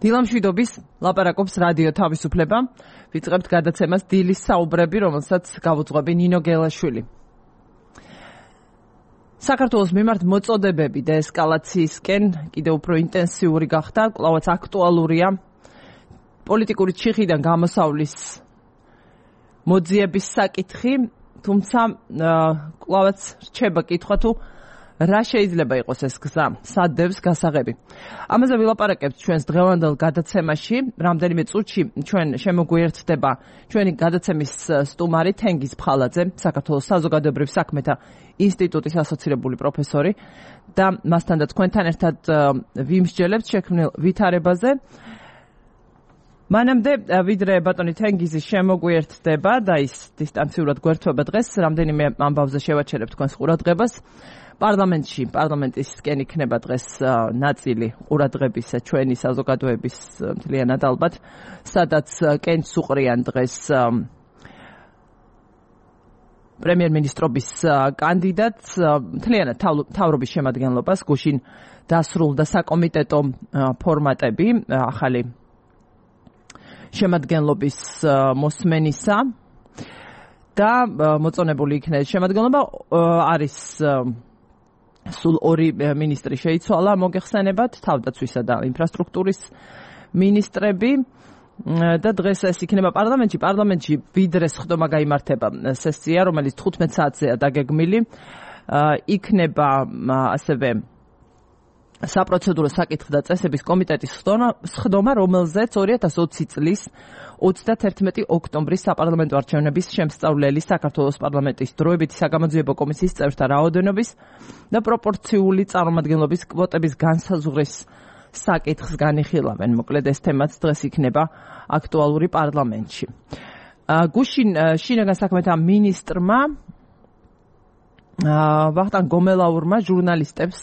დილამშვიდობის ლაპარაკობს რადიო თავისუფლება. ვიწყებთ გადაცემას დილის საუბრები, რომელსაც გავუძღვები ნინო გელაშვილი. საქართველოს მიმართ მოწოდებები დეესკალაციისკენ კიდევ უფრო ინტენსიური გახდა, კვლავაც აქტუალურია პოლიტიკური ჩიხიდან გამოსავლის მოძიების საკითხი, თუმცა კვლავაც რჩება კითხვა თუ რა შეიძლება იყოს ეს გზა, სად დევს გასაღები. ამაზე ვილაპარაკებთ ჩვენს დღევანდელ გადაცემაში. რამდენიმე წუთში ჩვენ შემოგვიერთდება ჩვენი გადაცემის სტუმარი თენგიზ ფხალაძე, საქართველოს საზოგადოებრივ საქმეთა ინსტიტუტის ასოცირებული პროფესორი და მასთან და თქვენთან ერთად ვიმსჯელებთ შექმნილ ვითარებაზე. მანამდე ვიდრე ბატონი თენგიზი შემოგვიერთდება და ის დისტანციურად გვერდება დღეს, რამდენიმე ამბავზე შევაჩერებ თქვენს ყურადღებას. პარლამენტისკენ იქნება დღეს ნაწილი ყურადღების ჩვენი საზოგადოების მთლიანად ალბათ, სადაც კენჭს უყრიან დღეს პრემიერ-მინისტრობის კანდიდატს, მთლიანად მთავრობის შემადგენლობას, გუშინ დასრულდა საკომიტეტო ფორმატები ახალი შემადგენლობის მოსმენისა და მოწონებული იქნება შემადგენლობა არის სულ ორი მინისტრი შეიცვალა მოგეხსენებათ, თავდაცვისა და ინფრასტრუქტურის მინისტრები და დღეს ეს იქნება პარლამენტში ვიდრე სხდომა გაიმართება სესია, რომელიც 15 საათზეა დაგეგმილი, იქნება ასევე საპროცედურო საკითხი და წესების კომიტეტის სხდომა, რომელზეც 2020 წლის 31 ოქტომბრის საპარლამენტო არჩევნების შემსწავლელი საქართველოს პარლამენტის დროებითი საგამოძიებო კომისიის წევრთა რაოდენობის და პროპორციული წარმომადგენლობის კვოტების განსაზღვრის საკითხს განიხილავენ. მოკლედ ეს თემაც დღეს იქნება აქტუალური პარლამენტში. გუშინ შინაგან საქმეთა მინისტრმა ვახტანგ გომელაურმა ჟურნალისტებს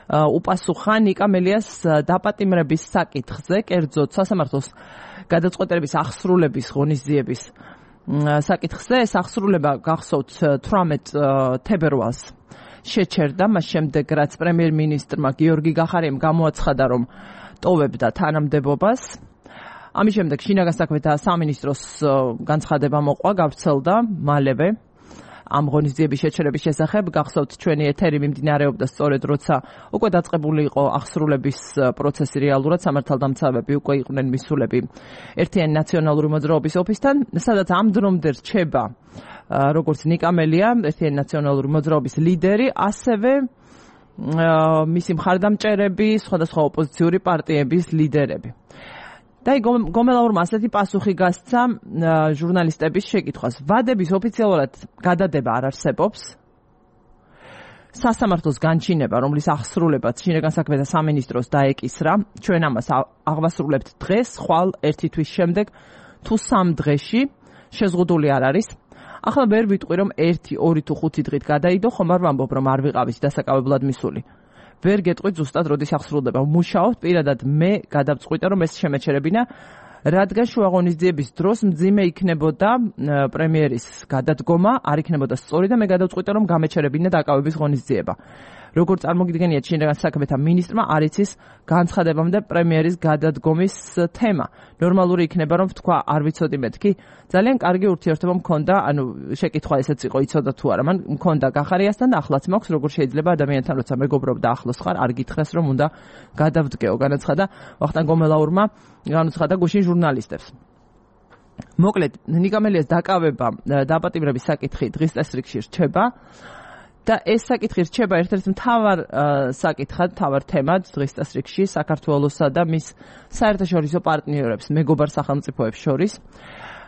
უპასუხა ნიკა მელიას დაპატიმრების საკითხზე, კერძოდ სასამართლოს გადაწყვეტილების აღსრულების ღონისძიების საკითხზე. ეს აღსრულება გახსოვთ 18 თებერვალს შეჩერდა, მას შემდეგ რაც პრემიერ-მინისტრმა გიორგი გახარიამ გამოაცხადა, რომ ტოვებდა თანამდებობას. ამის შემდეგ შინაგან საქმეთა სამინისტროს განცხადება მოყვა, გავრცელდა მალევე ამ ღონისძიების შეჩერების შესახებ. გახსოვთ ჩვენი ეთერი მიმდინარეობდა სწორედ როცა უკვე დაწყებული იყო აღსრულების პროცესი რეალურად, სამართალდამცავები უკვე იყვნენ მისულები ერთიანი ნაციონალური მოძრაობის ოფისთან, სადაც ამ დრომდე რჩება როგორც ნიკა მელია, ერთიანი ნაციონალური მოძრაობის ლიდერი, ასევე მისი მხარდამჭერები, სხვადასხვა ოპოზიციური პარტიების ლიდერები. და გომელაურმა ასეთი პასუხი გასცა ჟურნალისტების შეკითხვას. ვადების ოფიციალურად გადადება არ არსებობს. სასამართლოს განჩინება, რომლის აღსრულებაც შინაგან საქმეთა სამინისტროს დაეკისრა, ჩვენ ამას აღვასრულებთ დღეს, ხვალ ერთი თვის შემდეგ თუ 3 დღეში, შეზღუდული არ არის. ახლა ვერ ვიტყვი, რომ 1, 2 თუ 5 დღით გადაიდო, ხომ არ ვამბობ, რომ არ ვიყავით დასაკავებლად მისული. ვერ გეტყვით ზუსტად როდის აღსრულდება. მუშაობთ, პირადად მე გადავწყვიტე, რომ ეს შემეჩერებინა, რადგან შუა ღონისძიების დროს მძიმე იქნებოდა პრემიერის გადადგომა, არ იქნებოდა სწორი და მე გადავწყვიტე, რომ გამეჩერებინა დაკავების ღონისძიება. როგორც წარმოგიდგენიათ, შინაგან საქმეთა მინისტრმა არ იცის განცხადებამდე პრემიერის გადადგომის თემა. ნორმალური იქნება, რომ თქვა არ ვიცოდი მეთქი, ძალიან კარგი ურთიერთობა მქონდა, ანუ შეკითხვა ესეც იყო, იცოდა თუ არა, მან მქონდა გახარიასთან და ახლაც მაქვს, როგორ შეიძლება ადამიანთან როცა მეგობრობ და ახლოს ხარ, არ გითხრას, რომ უნდა გადავდგეო, განაცხადა ვახტანგ გომელაურმა, განაცხადა გუშინ ჟურნალისტებს. მოკლედ, ნიკა მელიას დაკავება დაპატიმრების საკითხი დღის წესრიგში რჩება. და ეს საკითხი რჩება ერთ-ერთ მთავარ საკითხად, მთავარ თემად დღის წესრიგში საქართველოსა და მის საერთაშორისო პარტნიორებს, მეგობარ სახელმწიფოებს შორის.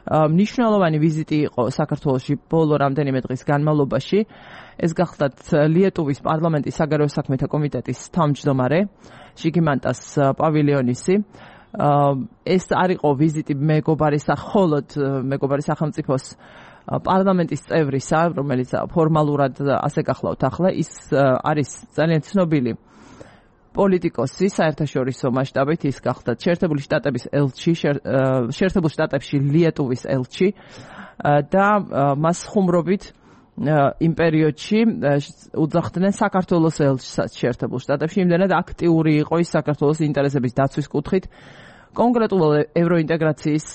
მნიშვნელოვანი ვიზიტი იყო საქართველოში ბოლო რამდენიმე დღის განმავლობაში. ეს გახლდათ ლიეტუვის პარლამენტის საგარეო საქმეთა კომიტეტის თავმჯდომარე ჟიგიმანტას პავილიონისი. ეს არ იყო ვიზიტი მეგობარი სახელმწიფოს პარლამენტის წევრისა, რომელიც ფორმალურად ასე გახლავთ ახლა, ის არის ძალიან ცნობილი პოლიტიკოსი საერთაშორისო მასშტაბით, ის გახდა შეერთებული შტატების ელჩი, შეერთებულ შტატებში ლიეტუვის ელჩი და მას ხუმრობით იმ პერიოდში უძახდნენ საქართველოს ელჩსაც შეერთებულ შტატებში, იმდენად აქტიური იყო ის საქართველოს ინტერესების დაცვის კუთხით, კონკრეტულ ევროინტეგრაციის,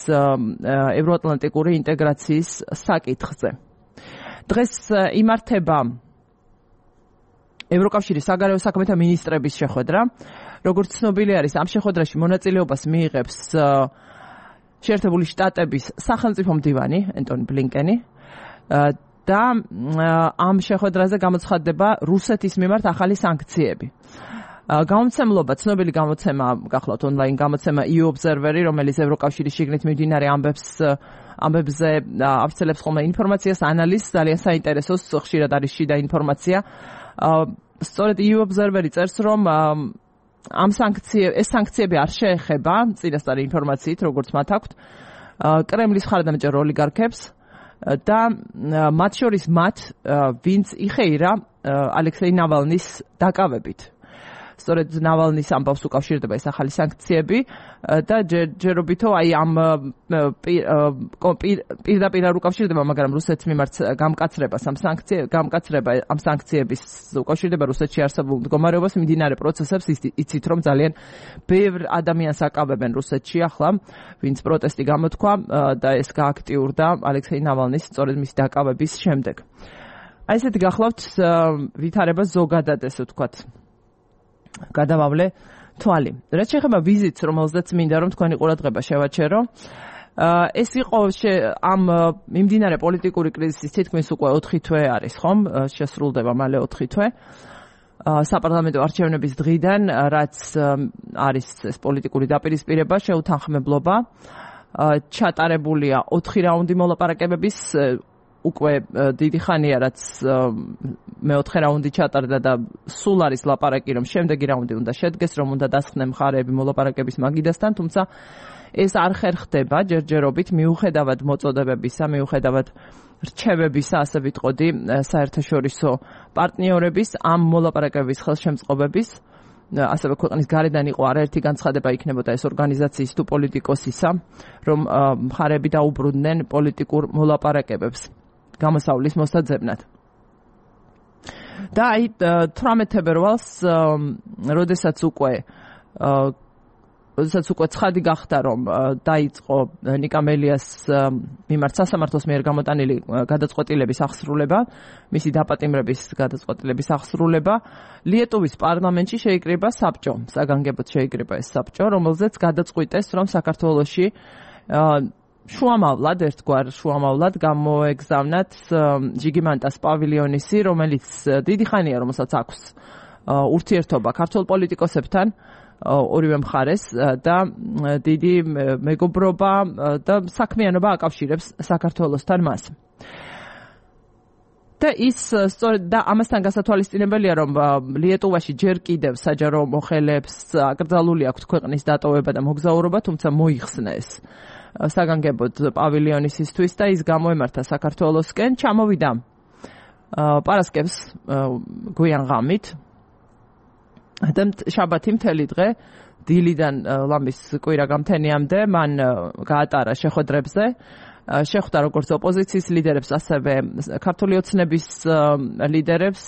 ევროატლანტიკური ინტეგრაციის საკითხზე. დღეს იმართება ევროკავშირის საგარეო საქმეთა მინისტრების შეხვედრა. როგორც ცნობილი არის, ამ შეხვედრაში მონაწილეობას მიიღებს შეერთებული შტატების სახელმწიფო მდივანი ენტონი ბლინკენი და ამ შეხვედრაზე გამოცხადდება რუსეთის მიმართ ახალი სანქციები. გამოცემლობა, ცნობილი გამოცემა, გახლავთ ონლაინ გამოცემა EU Observer-ი, რომელიც ევროკავშირის შიგნით მიმდინარე ამბებზე ავრცელებს ხოლმე ინფორმაციას, ანალიზს, ძალიან საინტერესოს, ხშირად არის შიდა ინფორმაცია. სწორედ EU Observer-ი წერს, რომ ეს სანქციები არ შეეხება წინასწარი ინფორმაციით, როგორც მათ აქვთ, კრემლის მხარდამჭერ ოლიგარქებს და მათ შორის ვინც იხეირა ალექსეი ნავალნის დაკავებით. სწორედ ნავალნის ამბავს უკავშირდება ეს ახალი სანქციები და ჯერჯერობითო ამ პირდაპირ არ უკავშირდება, მაგრამ რუსეთის მიმართ გამკაცრება ამ სანქციების უკავშირდება რუსეთში არსებულ მდგომარეობას, მიმდინარე პროცესებს. იცით, რომ ძალიან ბევრ ადამიანს აკავებენ რუსეთში ახლა, ვინც პროტესტი გამოთქვა და ეს გააქტიურდა ალექსეი ნავალნის სწორედ მისი დაკავების შემდეგ. აი ესეთი გახლავთ ვითარება ზოგადად, ესე ვთქვათ, გადავავლე თვალი. რაც შეეხება ვიზიტს, რომელზეც მინდა რომ თქვენი ყურადღება შევაჩერო, ეს იყო ამ მიმდინარე პოლიტიკური კრიზისის თითქმის უკვე 4 თვე არის, ხომ? შესრულდება მალე 4 თვე. საპარლამენტო არჩევნების დღიდან, რაც არის ეს პოლიტიკური დაპირისპირება, შეუთანხმებლობა, ჩატარებულია 4 რაუნდი მოლაპარაკებების, უკვე დიდი ხანია, რაც მეოთხე რაუნდი ჩატარდა და სულ არის ლაპარაკი, რომ შემდეგი რაუნდი უნდა შედგეს, რომ უნდა დასხდნენ მხარეები მოლაპარაკების მაგიდასთან, თუმცა ეს არ ხერხდება ჯერჯერობით, მიუხედავად მოწოდებებისა, მიუხედავად რჩევებისა, ასე ვიტყოდი, საერთაშორისო პარტნიორების ამ მოლაპარაკების ხელშემწყობების, ასევე ქვეყნის გარედან იყო არაერთი განცხადება იქნებოდა ეს ორგანიზაციის თუ პოლიტიკოსისა, რომ მხარეები დაუბრუნდნენ პოლიტიკურ მოლაპარაკებებს გამოსავლის მოსაძებნად. და აი 18 თებერვალს, როდესაც უკვე ცხადი გახდა, რომ დაიწყო ნიკა მელიას მიმართ სასამართლოს მიერ გამოტანილი გადაწყვეტილების აღსრულება, მისი დაპატიმრების გადაწყვეტილების აღსრულება, ლიეტუვის პარლამენტში შეიკრიბა საბჭო, საგანგებოდ შეიკრიბა ეს საბჭო, რომელზეც გადაწყვიტეს, რომ საქართველოში შუამავლად, ერთგვარ შუამავლად გამოეგზავნათ ჟიგიმანტას პავილიონისი, რომელიც დიდი ხანია, რომელსაც აქვს ურთიერთობა ქართულ პოლიტიკოსებთან, ორივე მხარეს და დიდი მეგობრობა და საქმიანობა აკავშირებს საქართველოსთან მას. და ის სწორედ და ამასთან გასათვალისწინებელია, რომ ლიეტუვაში ჯერ კიდევ საჯარო მოხელეებს აკრძალული აქვთ ქვეყნის დატოვება და მოგზაურობა, თუმცა მოიხსნა ეს საგანგებოდ პავილიონისისთვის და ის გამოემართა საქართველოსკენ, ჩამოვიდა პარასკევს გვიან ღამით და შაბათი მთელი დღე დილიდან ლამის კვირა გამთენიამდე მან გაატარა შეხვედრებზე, შეხვდა როგორც ოპოზიციის ლიდერებს, ასევე ქართული ოცნების ლიდერებს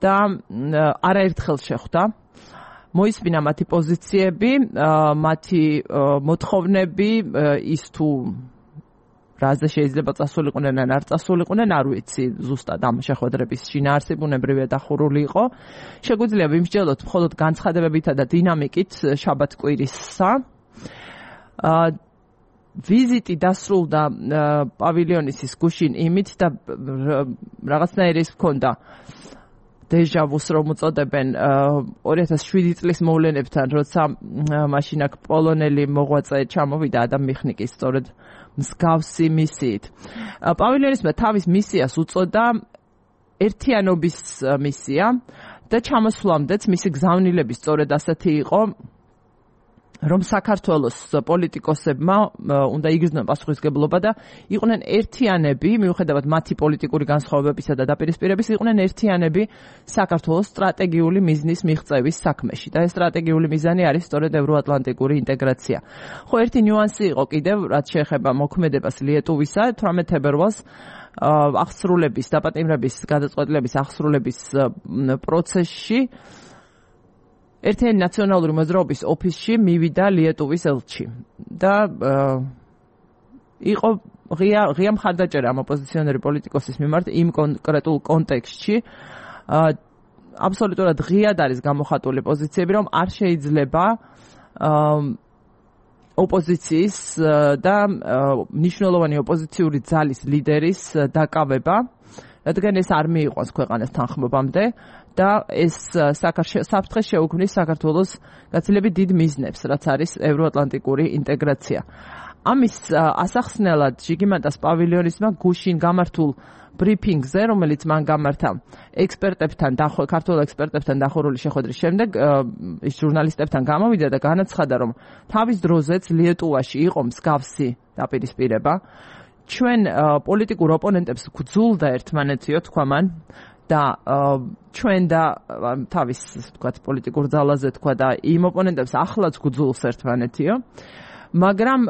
და არაერთხელ შეხვდა. მოისმინა მათი პოზიციები, მათი მოთხოვნები, ის თუ რაზე შეიძლება წასულიყვნენ ან არ წასულიყვნენ, არ ვიცი, ზუსტად ამ შეხვედრების შინაარსი ბუნებრივია დახურული იყო. შეგვიძლია ვიმსჯელოთ მხოლოდ განცხადებებითა და დინამიკით შაბათ-კვირისა. ვიზიტი დასრულდა პავილიონისის გუშინ იმით და რაღაცნაირი ის ჰქონდა დეჟავუს, რომ უწოდებენ 2007 წლის მოვლენებთან, როცა მაშინ აქ პოლონელი მოღვაწე ჩამოვიდა ადამ მიხნიკის სწორედ მსგავსი მისიით. პავილიონისმა თავის მისიას უწოდა ერთიანობის მისია და ჩამოსვლამდეც მისი გზავნილები სწორედ ასეთი იყო, რომ საქართველოს პოლიტიკოსებმა უნდა იგრძნონ პასუხისმგებლობა და იყვნენ ერთიანები, მიუხედავად მათი პოლიტიკური განსხვავებებისა და დაპირისპირების, იყვნენ ერთიანები საქართველოს სტრატეგიული მიზნის მიღწევის საქმეში. და ეს სტრატეგიული მიზანი არის სწორედ ევროატლანტიკური ინტეგრაცია. ხო, ერთი ნიუანსი იყო კიდევ, რაც შეეხება მოქმედებას ლიეტუვისა, 18 თებერვალს აღსრულების, დაპატიმრების გადაწყვეტილების აღსრულების პროცესში ერთიანი ნაციონალური მოძრაობის ოფისში მივიდა ლიეტუვის ელჩი და იყო ღია მხარდაჭერა ამ ოპოზიციონერი პოლიტიკოსის მიმართ იმ კონკრეტულ კონტექსტში აბსოლუტურად ღიად არის გამოხატული პოზიციები, რომ არ შეიძლება ოპოზიციის და მნიშვნელოვანი ოპოზიციური ძალის ლიდერის დაკავება, რადგან ეს არ მიიყვანს ქვეყანას თანხმობამდე და ეს საფრთხეს შეუქმნის საქართველოს გაცილებით დიდ მიზნებს, რაც არის ევროატლანტიკური ინტეგრაცია. ამის ასახსნელად ჟიგიმანტას პავილიონისმა გუშინ გამართულ ბრიფინგზე, რომელიც მან გამართა ქართველ ექსპერტებთან დახურული შეხვედრის შემდეგ, ის ჟურნალისტებთან გამოვიდა და განაცხადა, რომ თავის დროზეც ლიეტუვაში იყო მსგავსი დაპირისპირება. ჩვენ პოლიტიკურ ოპონენტებს გვძულდა ერთმანეთიო, თქვა მან, და ჩვენ და თავის თქვათ პოლიტიკურ ძალაზე თქვა და იმ ოპონენტებს ახლაც გვძულს ერთმანეთიო. მაგრამ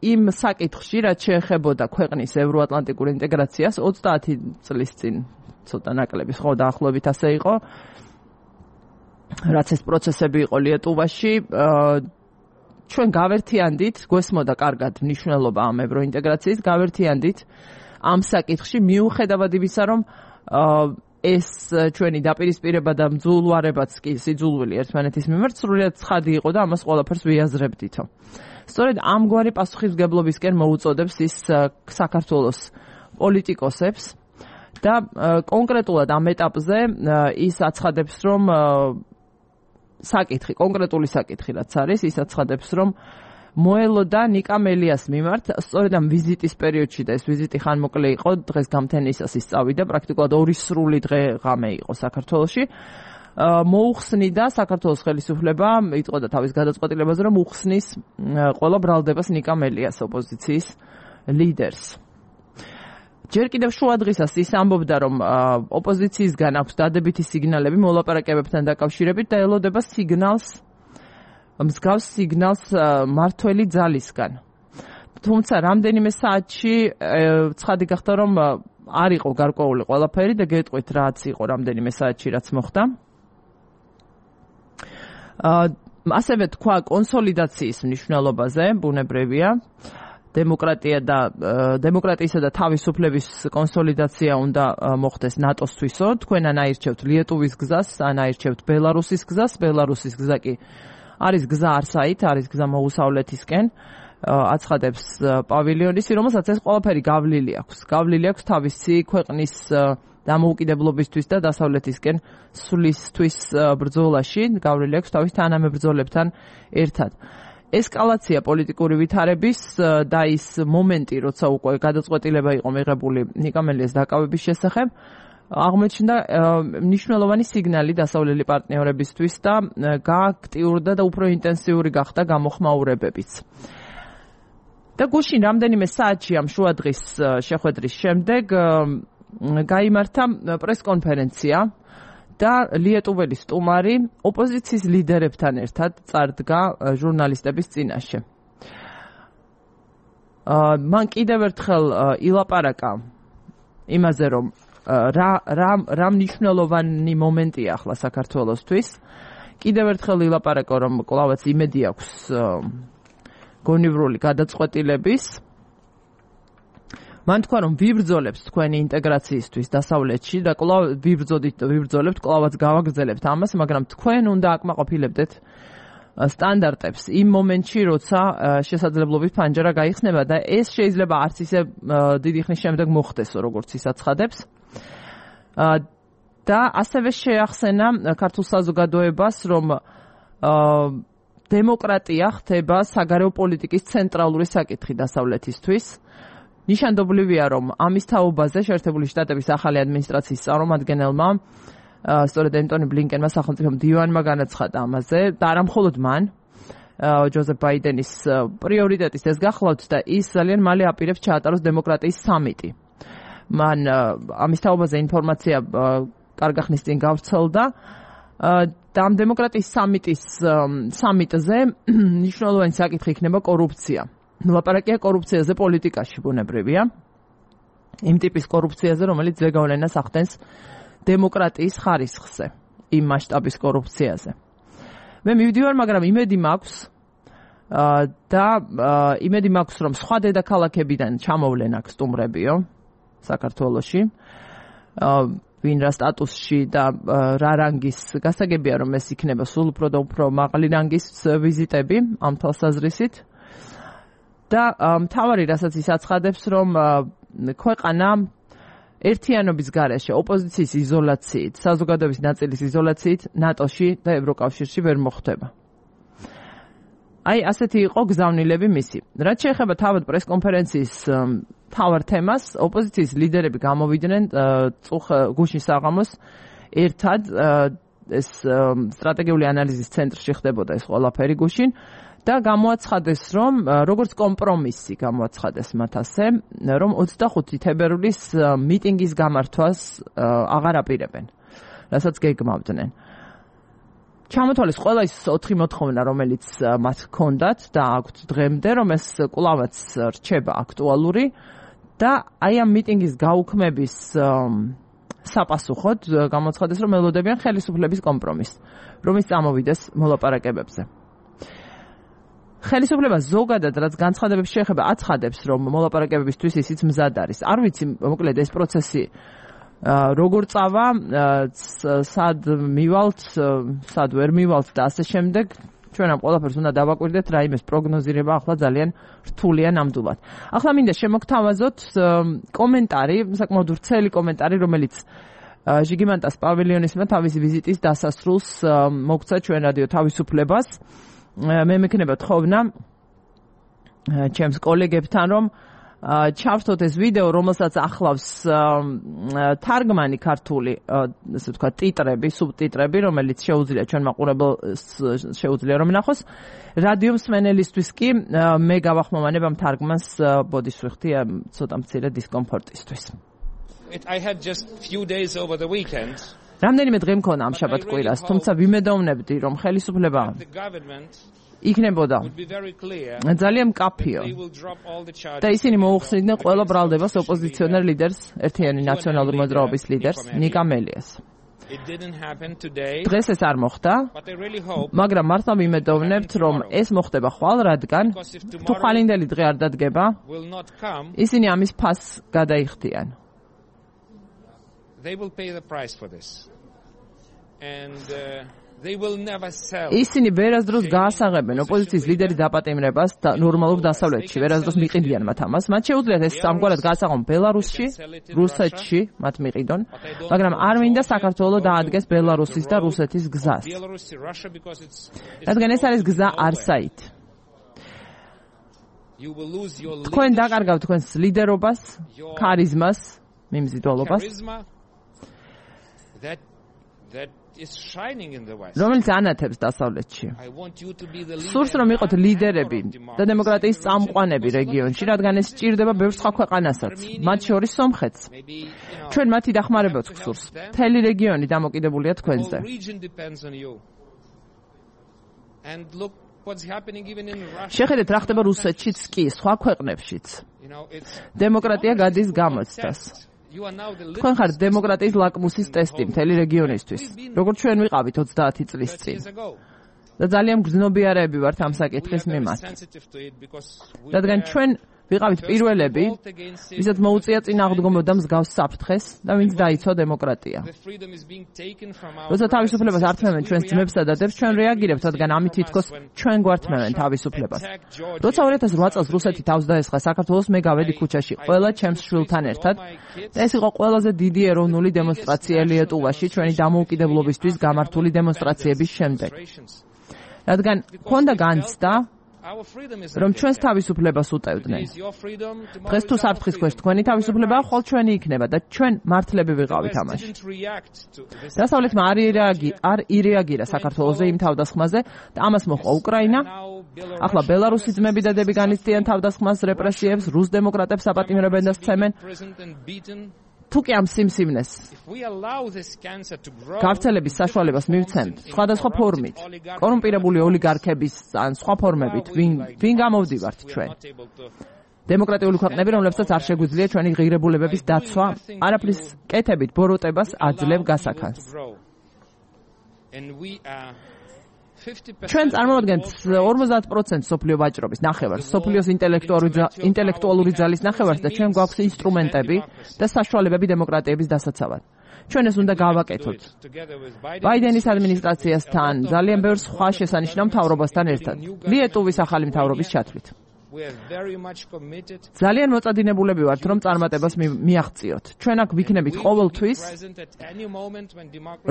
იმ საკითხში, რაც შეეხებოდა ქვეყნის ევროატლანტიკურ ინტეგრაციას 30 წლის წინ, ცოტა ნაკლების ხო დაახლოებით ასე იყო, რაც ეს პროცესები იყო ლიეტუვაში, ჩვენ გავერთიანდით, გვესმოდა კარგად მნიშვნელობა ამ ევროინტეგრაციის, გავერთიანდით ამ საკითხში, მიუხედავად იმისა, რომ ეს ჩვენი დაპირისპირება და მძულვარებაც კი სიძულვილი ერთმანეთის მიმართ სრულიად ცხადი იყო და ამას ყველაფერს ვიაზრებდითო. სწორედ ამგვარი პასუხისმგებლობისკენ მოუწოდებს ის საქართველოს პოლიტიკოსებს და კონკრეტულად ამ ეტაპზე ის აცხადებს, რომ კონკრეტული საკითხი რაც არის, ის აცხადებს, რომ მოელოდა ნიკამელიას მიმართ, სწორედ ამ ვიზიტის პერიოდში და ეს ვიზიტი ხანმოკლე იყო, დღეს გამთენისას ის წავიდა, პრაქტიკულად 2 სრული დღე ღამე იყო საქართველოში. მოუხსნიდა საქართველოს ხელისუფლება, იტყოდა თავის გადაწყვეტილებაზე, რომ უხსნის ყველა ბრალდებას ნიკამელიას ოპოზიციის ლიდერს. ჯერ კიდევ შუა დღისას ის ამბობდა, რომ ოპოზიციისგან აქვს დადებითი სიგნალები მოლაპარაკებებთან დაკავშირებით და ელოდება მსგავს სიგნალს მართველი ძალისგან. თუმცა რამდენიმე საათში ცხადი გახდა, რომ არ იყო გარკვეული ყველაფერი და გეტყვით რაც იყო რამდენიმე საათში რაც მოხდა. ასევე თქვა კონსოლიდაციის მნიშვნელობაზე, ბუნებრივია, დემოკრატიისა და თავისუფლების კონსოლიდაცია უნდა მოხდეს ნატოსთვისო. თქვენ ან აირჩევთ ლიეტუვის გზას, ან აირჩევთ ბელარუსის გზას. ბელარუსის გზა კი არის გზა არსაით, არის გზა მოუსავლეთისკენ, აცხადებს პავილიონისი, რომელსაც ეს ყველაფერი გავლილი აქვს. გავლილი აქვს თავისი ქვეყნის დამოუკიდებლობისთვის და დასავლეთისკენ სვლისთვის ბრძოლაში, გავლილი აქვს თავის თანამებრძოლებთან ერთად. ესკალაცია პოლიტიკური ვითარების და ის მომენტი, როცა უკვე გადაწყვეტილება იყო მიღებული ნიკამელიას დაკავების შესახებ, აღმოჩნდა მნიშვნელოვანი სიგნალი დასავლელი პარტნიორებისთვის და გააქტიურდა და უფრო ინტენსიური გახდა გამოხმაურებებიც. და გუშინ რამდენიმე საათში ამ შუადღის შეხვედრის შემდეგ გაიმართა პრესკონფერენცია და ლიეტუველი სტუმარი ოპოზიციის ლიდერებთან ერთად წარდგა ჟურნალისტების წინაშე. მან კიდევ ერთხელ ილაპარაკა იმაზე, რომ რა მნიშვნელოვანი მომენტია ახლა საქართველოსთვის. კიდევ ერთხელ ილაპარაკა, რომ კვლავაც იმედი აქვს გონივრული გადაწყვეტილების. მან თქვა, რომ ვიბრძოლებთ თქვენი ინტეგრაციისთვის დასავლეთში და კვლავ ვიბრძოლებთ, კვლავაც გავაგრძელებთ ამას, მაგრამ თქვენ უნდა აკმაყოფილებდეთ სტანდარტებს იმ მომენტში, როცა შესაძლებლობის ფანჯარა გაიხსნება და ეს შეიძლება არც ისე დიდი ხნის შემდეგ მოხდესო, როგორც ის აცხადებს. და ასევე შეახსენა ქართულ საზოგადოებას, რომ დემოკრატია ხდება საგარეო პოლიტიკის ცენტრალური საკითხი დასავლეთისთვის. ნიშანდობლივია, რომ ამის თაობაზე შეერთებული შტატების ახალი ადმინისტრაციის წარმომადგენელმა, სწორედ ენტონი ბლინკენმა სახელმწიფო მდივანმა განაცხადა ამაზე და არა მხოლოდ მან, ჯოზეფ ბაიდენის პრიორიტეტის ეს გახლავთ და ის ძალიან მალე აპირებს ჩაატაროს დემოკრატიის სამიტი. მან ამის თაობაზე ინფორმაცია კარგი ხნის წინ გავრცელდა და ამ დემოკრატიის სამიტზე მნიშვნელოვანი საკითხი იქნება კორუფცია. ლაპარაკია კორუფციაზე პოლიტიკაში, ბუნებრივია. იმ ტიპის კორუფციაზე, რომელიც ზეგავლენას ახდენს დემოკრატიის ხარისხზე, იმ მასშტაბის კორუფციაზე. მე მივდივარ, მაგრამ იმედი მაქვს და იმედი მაქვს, რომ სხვა დედაქალაქებიდან ჩამოვლენ აქ სტუმრებიო საქართველოში. ვინ რა სტატუსში და რა რანგის გასაგებია, რომ ეს იქნება სულ უფრო და უფრო მაღალი რანგის ვიზიტები ამ თვალსაზრისით. და მთავარი რასაც ის აცხადებს, რომ ქვეყანა ერთიანობის გარეშე, ოპოზიციის იზოლაციით, საზოგადოების ნაწილის იზოლაციით ნატოში და ევროკავშირში ვერ მოხვდება. აი, ასეთი იყო გზავნილები მისი. რაც შეეხება თავად პრესკონფერენციის მთავარ თემას, ოპოზიციის ლიდერები გამოვიდნენ გუშინ საღამოს ერთად ეს სტრატეგიული ანალიზის ცენტრში ხდებოდა ეს ყველაფერი გუშინ და გამოაცხადეს, რომ როგორც კომპრომისი გამოაცხადეს მათ ასე, რომ 25 თებერვლის მიტინგის გამართვას აღარ აპირებენ, რასაც გეგმავდნენ. ჩამოთვალეს ყველა ის 4 მოთხოვნა, რომელიც მათ ჰქონდათ და აქვთ დღემდე, რომ ეს კვლავაც რჩება აქტუალური და აი ამ მიტინგის გაუქმების საპასუხოდ გამოაცხადეს, რომ ელოდებიან ხელისუფლების კომპრომისს, რომის წამოვიდეს მოლაპარაკებებზე. ხელისუფლება ზოგადად, რაც განცხადებებს შეეხება, აცხადებს, რომ მოლაპარაკებებისთვის ისიც მზად არის. არ ვიცი, მოკლედ ეს პროცესი როგორ წავა, სად მივალთ, სად ვერ მივალთ და ასე შემდეგ. ჩვენ ამ ყველაფერს უნდა დავაკვირდეთ, რაიმეს პროგნოზირება ახლა ძალიან რთულია ნამდვილად. ახლა მინდა შემოგთავაზოთ კომენტარი, საკმაოდ ვრცელი კომენტარი, რომელიც ჟიგიმანტას პავილიონისმა თავისი ვიზიტის დასასრულს მოგცა ჩვენ რადიო თავისუფლებას. მე მექნება თხოვნა ჩემს კოლეგებთან, რომ ჩავსვათ ეს ვიდეო, რომელსაც ახლავს თარგმანი ქართული, ასე ვთქვათ, ტიტრები, სუბტიტრები, რომელიც შეუძლია ჩვენ მაყურებელს შეუძლია რომ ნახოს. რადიო მსმენელისთვის კი მე გავახმოვანებ ამ თარგმანს, ბოდიშ ვიხდი ცოტა მცირე დისკომფორტისთვის. I had just few days over the weekend. რამდენიმე დღე მქონა ამ შაბათ-კვირას, თუმცა ვიმედოვნებდი, რომ ხელისუფლება იქნებოდა ძალიან მკაფიო და ისინი მოუხსნიდნენ ყველა ბრალდებას ოპოზიციონერ ლიდერს, ერთიანი ნაციონალური მოძრაობის ლიდერს, ნიკა მელიას. დღეს ეს არ მოხდა, მაგრამ მართლა ვიმედოვნებთ, რომ ეს მოხდება ხვალ, რადგან თუ ხვალინდელი დღე არ დადგება, ისინი ამის ფასს გადაიხდიან. They will pay the price for this. And they will never sell. ისინი ვერასდროს გაასაღებენ ოპოზიციის ლიდერის დაპატიმრებას და ნორმალურ დასავლეთში, ვერასდროს მიყიდიან მათ ამას. მათ შეუძლიათ ეს ამგვარად გაასაღონ ბელარუსში, რუსეთში, მათ მიყიდონ, მაგრამ არ მინდა საქართველოს დაადგეს ბელარუსის და რუსეთის გზას. რადგან ეს არის გზა არსაით. თქვენ დაკარგავთ თქვენს ლიდერობას, ქარიზმას, მიმზიდველობას. That is shining in the west. რომელიც ანათებს დასავლეთში. სურს რომ იყოთ ლიდერები და დემოკრატიის წამყვანები რეგიონში, რადგან ეს სჭირდება ბევრ სხვა ქვეყანასაც, მათ შორის სომხეთს. ჩვენ მათი დახმარებაც გსურს. მთელი რეგიონი დამოკიდებულია თქვენზე. შეხედეთ რა ხდება რუსეთშიც კი, სხვა ქვეყნებშიც. დემოკრატია გადის გამოცდას. თქვენ ხართ დემოკრატიის ლაკმუსის ტესტი მთელი რეგიონისთვის, როგორც ჩვენ ვიყავით 30 წლის წინ. და ძალიან გრძნობიარეები ვართ ამ საკითხის მიმართ. რადგან ჩვენ ვიყავით პირველები, ვისაც მოუწია წინააღმდეგობა და მსგავს საფრთხეს და ვინც დაიცვა დემოკრატია. როცა თავისუფლებას ართმევენ ჩვენს ძმებსა და დებს, ჩვენ რეაგირებთ, რადგან ამით თითქოს ჩვენ გვართმევენ თავისუფლებას. როცა 2008 წელს რუსეთი თავს დაესხა საქართველოს, მე გავედი ქუჩაში ყველა ჩემს შვილთან ერთად და ეს იყო ყველაზე დიდი ეროვნული დემონსტრაცია ლიეტუვაში ჩვენი დამოუკიდებლობისთვის გამართული დემონსტრაციების შემდეგ. რადგან ჰქონდა განცდა, რომ ჩვენს თავისუფლებას უტევდნენ. დღეს თუ საფრთხის ქვეშ თქვენი თავისუფლებაა, ხოლ ჩვენი იქნება და ჩვენ მართლები ვიყავით ამაში. დასავლეთმა არ ირეაგირა საქართველოზე იმ თავდასხმაზე და ამას მოჰყვა უკრაინა. ახლა ბელარუსი ძმები და დები განიცდიან თავდასხმას, რეპრესიებს, რუს დემოკრატებს აპატიმრებენ და სცემენ. თუ კი ამ სიმსივნეს გავრცელების საშუალებას მივცემთ სხვადასხვა ფორმით, კორუმპირებული ოლიგარქების ან სხვა ფორმებით, ვინ გამოვდივართ ჩვენ? დემოკრატიული ქვეყნები, რომლებსაც არ შეგვიძლია ჩვენი ღირებულებების დაცვა, არაფრის კეთებით ბოროტებას აძლევ გასახანს. ჩვენ წარმოვადგენთ 50% სოფლიო ვაჭრობის ნახევარს, სოფლიოს ინტელექტუალური ძალის ნახევარს და ჩვენ გვაქვს ინსტრუმენტები და საშუალებები დემოკრატიების დასაცავად. ჩვენ ეს უნდა გავაკეთოთ. ბაიდენის ადმინისტრაციასთან, ძალიან ბევრ სხვა შესანიშნავ მთავრობასთან ერთად, ლიეტუვის ახალი მთავრობის ჩათვლით. ძალიან მოწადინებულები ვართ, რომ წარმატებას მიაღწიოთ. ჩვენ აქ ვიქნებით ყოველთვის,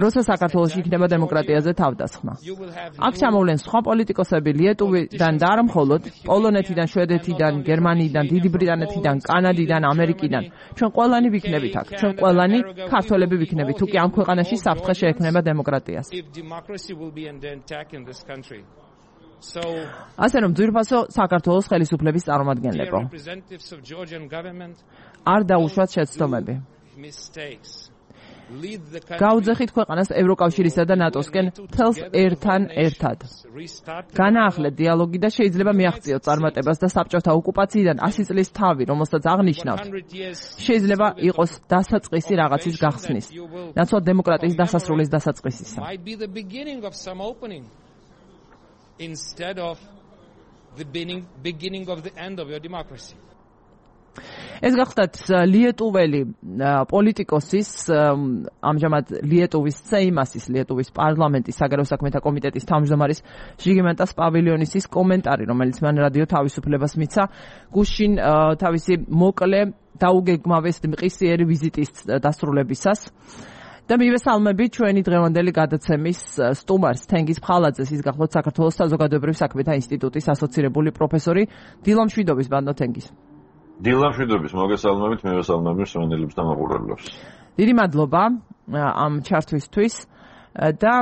როცა საქართველოში იქნება დემოკრატიაზე თავდასხმა. აქ ჩამოვლენ სხვა პოლიტიკოსები ლიეტუვიდან და არა მხოლოდ, პოლონეთიდან, შვედეთიდან, გერმანიიდან, დიდი ბრიტანეთიდან, კანადიდან, ამერიკიდან. ჩვენ ყველანი ვიქნებით აქ. ჩვენ ყველანი ქართველები ვიქნებით, თუ კი ამ ქვეყანაში საფრთხე შეექმნება დემოკრატიას. ასე რომ ძვირფასო საქართველოს ხელისუფლების წარმომადგენლებო, არ დაუშვათ შეცდომები. გაუძეხით ქვეყანას ევროკავშირისა და ნატოსკენ თელს ერთან ერთად. განაახლეთ დიალოგი და შეიძლება მიაღწიოთ წარმატებას და საბჭოთა ოკუპაციიდან 100 წლის თავი, რომელსაც აღნიშნავთ, შეიძლება იყოს დასაწყისი რაღაცის გახსნის, ნაცვლად დემოკრატიის დასასრულის დასაწყისისა. Instead of the beginning of the end of your democracy. ეს გახდათ ლიეტუველი პოლიტიკოსის, ამჟამად ლიეტუვის სეიმასის, ლიეტუვის პარლამენტის საგარეო საქმეთა კომიტეტის თავმჯდომარის ჟიგიმანტას პავილიონისის კომენტარი, რომელიც მან რადიო თავისუფლებას მიცა გუშინ თავისი მოკლე დაუგეგმავეს მყისიერი ვიზიტის დასრულებისას. და მივესალმები ჩვენი დღევანდელი გადაცემის სტუმარს, თენგიზ ფხალაძეს, ის გახლავთ საქართველოს საზოგადოებრივ საქმეთა ინსტიტუტის ასოცირებული პროფესორი. დილა მშვიდობის, ბანდო თენგიზ. დილა მშვიდობის, მოგესალმებით, მივესალმები სვანელებს და მაყურებლებს. დიდი მადლობა ამ ჩართვისთვის და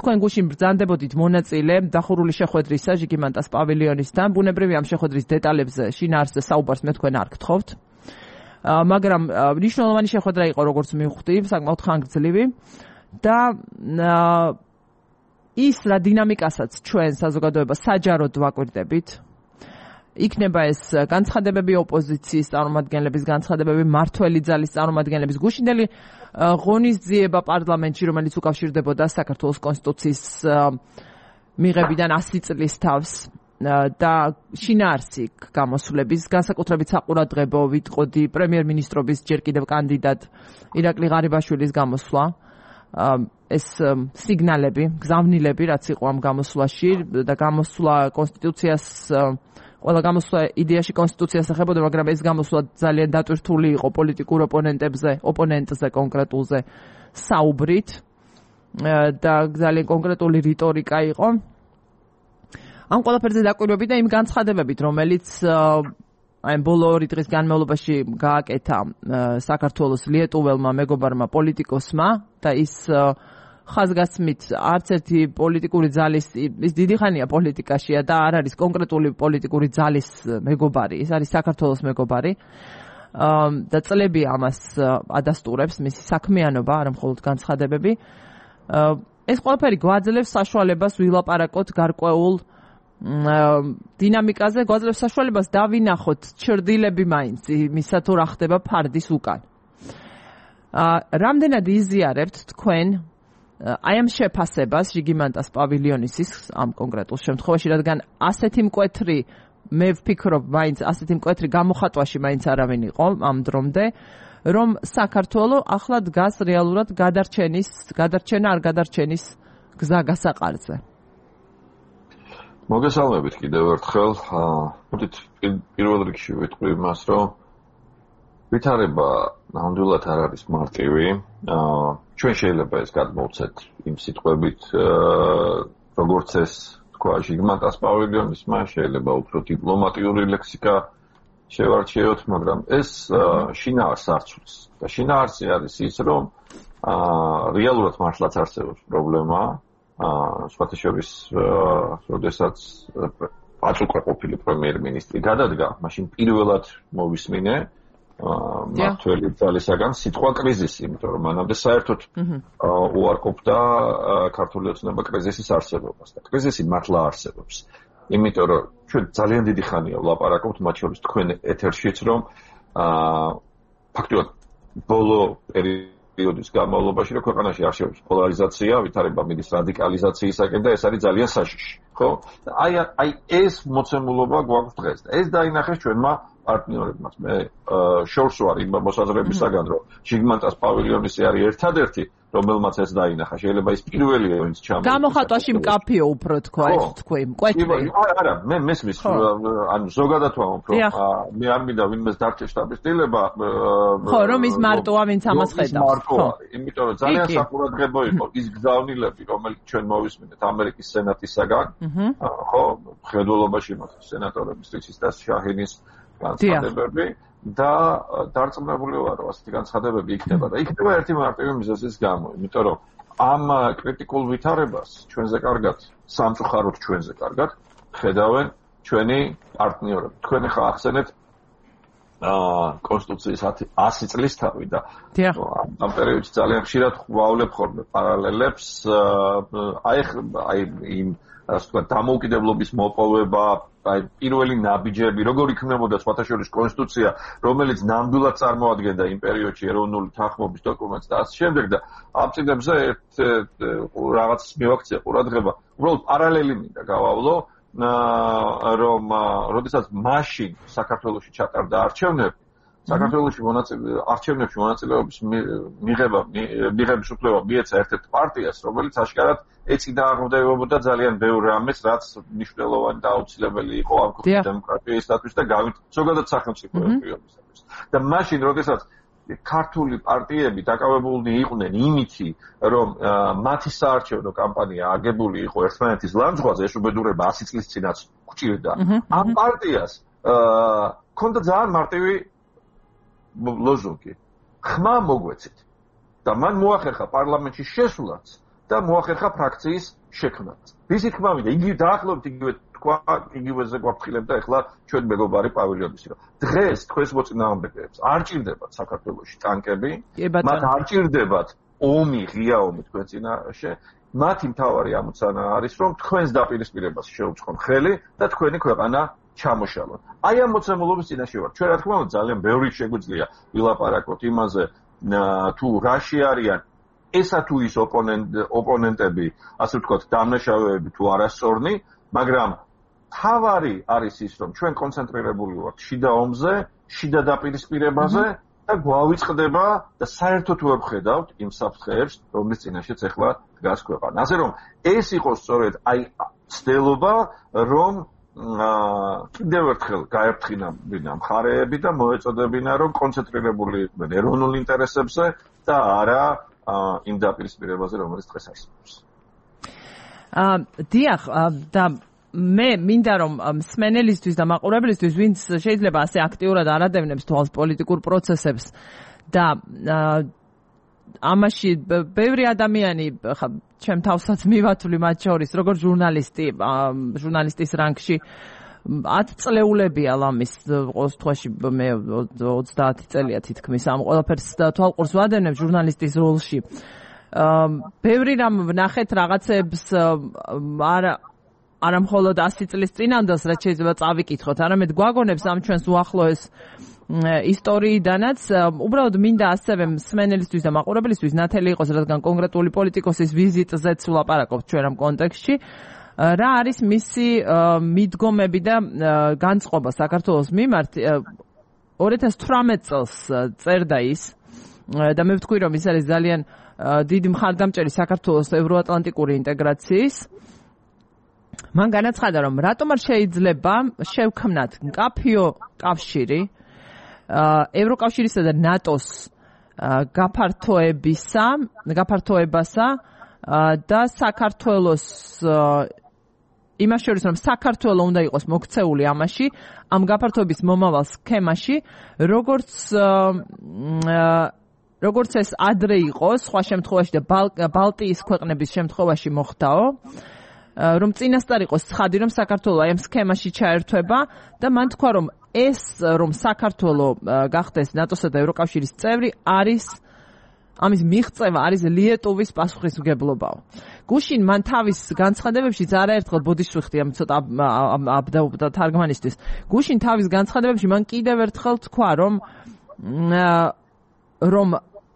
თქვენ გუშინ ბრძანდებოდით მონაწილე დახურული შეხვედრისა ჟიგიმანტას პავილიონისთან. ბუნებრივია ამ შეხვედრის დეტალებზე შინაარსზე საუბარს მე თქვენ არ გთხოვთ. მაგრამ მნიშვნელოვანი შეხვედრა იყო, როგორც მივხვდი, საკმაოდ ხანგრძლივი და ის რა დინამიკასაც ჩვენ საზოგადოება საჯაროდ ვაკვირდებით. იქნება ეს განცხადებები ოპოზიციის წარმომადგენლების, განცხადებები მმართველი ძალის წარმომადგენლების, გუშინდელი ღონისძიება პარლამენტში, რომელიც უკავშირდებოდა საქართველოს კონსტიტუციის მიღებიდან 100 წლის თავს. და შინაარსი გამოსვლების, განსაკუთრებით საყურადღებო ვიტყოდი პრემიერ-მინისტრობის ჯერ კიდევ კანდიდატ ირაკლი ღარიბაშვილის გამოსვლა. ეს სიგნალები, გზავნილები, რაც იყო ამ გამოსვლაში და გამოსვლა კონსტიტუციას, ყველა გამოსვლა იდეაში კონსტიტუციას ეხებოდა, მაგრამ ეს გამოსვლა ძალიან დატვირთული იყო პოლიტიკურ ოპონენტზე კონკრეტულზე საუბრით და ძალიან კონკრეტული რიტორიკა იყო. ამ ყველაფერზე დაკვირვებით და იმ განცხადებებით, რომელიც აი ბოლო 2 დღის განმავლობაში გააკეთა საქართველოს ლიეტუველმა მეგობარმა პოლიტიკოსმა და ის ხაზგასმით არც ერთი პოლიტიკური ძალის, ის დიდი ხანია პოლიტიკაშია და არ არის კონკრეტული პოლიტიკური ძალის მეგობარი, ის არის საქართველოს მეგობარი და წლები ამას ადასტურებს, მისი საქმიანობა, არა მხოლოდ განცხადებები. ეს ყველაფერი გვაძლევს საშუალებას ვილაპარაკოთ გარკვეულ დინამიკაზე, გვაძლევს საშუალებას დავინახოთ ჩრდილები მაინც იმისა თუ რა ხდება ფარდის უკან. რამდენად იზიარებთ თქვენ აი ამ შეფასებას ჟიგიმანტას პავილიონისის ამ კონკრეტულ შემთხვევაში, რადგან ასეთი მკვეთრი, მე ვფიქრობ, მაინც ასეთი მკვეთრი გამოხატვაში მაინც არავინ იყო ამ დრომდე, რომ საქართველოს ახლა დგას რეალურად გადარჩენა არ გადარჩენის გზა გასაყარზე. მოგესალმებით კიდევ ერთხელ. მოდით პირველ რიგში ვიტყვი იმას, რომ ვითარება ნამდვილად არ არის მარტივი. ჩვენ შეიძლება ეს გადმოვცეთ იმ სიტყვებით, როგორც ეს თქვა ჟიგიმანტას პავილიონისმა, შეიძლება უფრო დიპლომატიური ლექსიკა შევარჩიოთ, მაგრამ ეს შინაარსს არ ცვლის. და შინაარსი არის ის, რომ რეალურად მართლაც არსებობს პრობლემა. სხვათა შორის, როდესაც აწუყრა ყოფილი პრემიერ-მინისტრი გადადგა, მაშინ პირველად მოვისმინე მმართველი ძალისაგან სიტყვა კრიზისი, იმიტომ რომ მანამდე საერთოდ უარყოფდა ქართული ოცნება კრიზისის არსებობას და კრიზისი მართლა არსებობს. იმიტომ რომ ჩვენ ძალიან დიდი ხანია ვლაპარაკობთ, მათ შორის თქვენ ეთერშიც, რომ ფაქტობრივად ბოლო პერიოდის განმავლობაში, რომ ქვეყანაში არსებობს პოლარიზაცია, ვითარება მიდის რადიკალიზაციისაკენ და ეს არის ძალიან საშიში, ხო? აი ეს მოცემულობა გვაქვს დღეს და ეს დაინახეს ჩვენმა პარტნიორებმაც. მე შორს ვარ იმ მოსაზრებისაგან, რომ ჟიგმანტას პავილიონისი არის ერთადერთი, რომელმაც ეს დაინახა. შეიძლება ის პირველია, ვინც ჩამოიწყო. გამოხატვაში მკაფიო უფრო თქვა, ეს თქვი, მკვეთრი. არა, მე მესმის, ანუ ზოგადად ვამბობ, რომ მე არ მინდა ვინმეს დარჩე შტაბის-დილება. ხო, რომ ის მარტოა, ვინც ამას ხედავს. ხო, იმიტომ რომ ძალიან საყურადღებო იყო ის გზავნილები, რომელიც ჩვენ მოვისმინეთ ამერიკის სენატისაგან. ხო, ხედველობაში მოხდა სენატორების რიცის და შაჰინის განცხადებები და დარწმუნებული ვარ, რომ ასეთი განცხადებები იქნება და იქნება ერთი მარტივი მიზეზის გამო, იმიტომ რომ ამ კრიტიკულ ვითარებას ჩვენზე კარგად, სამწუხაროდ ჩვენზე კარგად ხედავენ ჩვენი პარტნიორები. თქვენ ხა ახსენეთ კონსტიტუციის 100 წლის თავი და ამ პერიოდში ძალიან ხშირად ვავლებ ხოლმე პარალელებს აი იმ ასე ვთქვათ დამოუკიდებლობის მოპოვება, აი პირველი ნაბიჯები, როგორ იქნებოდა სხვათაშორის კონსტიტუცია, რომელიც ნამდვილად წარმოადგენდა იმ პერიოდში ეროვნული თანხმობის დოკუმენტს და ასე შემდეგ და ამ წინებზე რაღაც მივაქცია ყურადღება. უბრალოდ პარალელი მინდა გავავლო, რომ როდესაც მაშინ საქართველოში ჩატარდა არჩევნები, საქართველოში არჩევნებში მონაწილეობის მიღების უფლება მიეცა ერთ-ერთ პარტიას, რომელიც აშკარად ეწიდა აღმოდებებოდა ძალიან ბევრ რამეს, რაც მნიშვნელოვანი და აუცილებელი იყო ამ ქვეყნის დემოკრატიისათვის და ზოგადად სახელმწიფოებისათვის. და მაშინ, როდესაც ქართული პარტიები დაკავებულნი იყვნენ იმითი, რომ მათი საარჩევნო კამპანია აგებული იყო ერთმანეთის ლანძღვაზე, ეს უბედურება 100 წლის წინაც გვჭირდა. ამ პარტიას ჰქონდა ძალიან მარტივი ლოზუნგი. ხმა მოგვეცით. და მან მოახერხა პარლამენტში შესვლაც და მოახერხა ფრაქციის შექმნაც. ვისი თქმა მინდა, იგი დაახლოებით იგივე თქვა, იგივეზე გვაფრთხილებდა ახლა ჩვენ მეგობარი პავილიონისი, რომ დღეს თქვენს მოწინააღმდეგეებს არ ჭირდებათ საქართველოში ტანკები, მათ არ ჭირდებათ ომი, ღია ომი თქვენ წინაშე, მათი მთავარი ამოცანა არის, რომ თქვენს დაპირისპირებას შეუწყონ ხელი და თქვენი ქვეყანა ჩამოშალოთ. აი ამ მოცემულობის წინაშე ვარ. ჩვენ რა თქმა უნდა ძალიან ბევრი შეგვიძლია ვილაპარაკოთ იმაზე, თუ რაში არიან ესა თუ ის ოპონენტები, ასე ვთქვათ, დამნაშავეები თუ არასწორნი, მაგრამ თავარი არის ის, რომ ჩვენ კონცენტრირებული ვართ შიდა ომზე, შიდა დაპირისპირებაზე და გვავიწყდება და საერთოდ ვერ ვხედავთ იმ საფრთხეებს, რომლის წინაშეც ახლა დგას ქვეყანა. ასე რომ ეს იყო სწორედ აი ცდელობა, რომ კიდევ ერთხელ გაერთხინებინა მხარეები და მოეწოდებინა, რომ კონცენტრირებული იყვნენ ეროვნულ ინტერესებზე და არა იმ დაპირისპირებაზე, რომელიც დღეს არსებობს. დიახ, და მე მინდა რომ მსმენელისთვის და მაყურებლისთვის, ვინც შეიძლება ასე აქტიურად არ ადევნებს თვალს პოლიტიკურ პროცესებს და ამაში ბევრი ადამიანი ხა ჩემ თავსაც მივათვლი მათ შორის, როგორც ჟურნალისტის რანგში 10 წლეულებია ლამის ყოველ შემთხვევაში მე 30 წელია თითქმის ამ ყველაფერს თვალყურს ვადევნებ ჟურნალისტის როლში. ბევრი რამ ვნახეთ რაღაცებს არა მხოლოდ 100 წლის წინანდელს, რაც შეიძლება წავიკითხოთ, არამედ გვაგონებს ამ ჩვენს უახლოეს ისტორიიდანაც. უბრალოდ მინდა ასევე მსმენელისთვის და მაყურებლისთვის ნათელი იყოს, რადგან კონკრეტული პოლიტიკოსის ვიზიტზეც ვლაპარაკობთ ჩვენ ამ კონტექსტში. რა არის მისი მიდგომები და განწყობა საქართველოს მიმართ? 2018 წელს წერდა ის და მე ვთქვი, რომ ის არის ძალიან დიდი მხარდამჭერი საქართველოს ევროატლანტიკური ინტეგრაციის. მან განაცხადა, რომ რატომ არ შეიძლება შევქმნათ მკაფიო კავშირი ევროკავშირისა და ნატოს გაფართოებასა და საქართველოს იმას შორის, რომ საქართველო უნდა იყოს მოქცეული ამაში, ამ გაფართოების მომავალ სქემაში, როგორც ეს ადრე იყო, სხვა შემთხვევაში და ბალტიის ქვეყნების შემთხვევაში მოხდაო, რომ წინასწარ იყოს ცხადი, რომ საქართველო აი ამ სქემაში ჩაერთვება და მან თქვა, რომ ეს რომ საქართველო გახდეს ნატოსა და ევროკავშირის წევრი არის ამის მიღწევა არის ლიეტუვის პასუხისმგებლობაო. გუშინ მან თავის განცხადებებშიც არაერთხელ ბოდიშვიხდი ამ ცოტა აბდაუბდა თარგმანისთვის. გუშინ თავის განცხადებებში მან კიდევ ერთხელ თქვა, რომ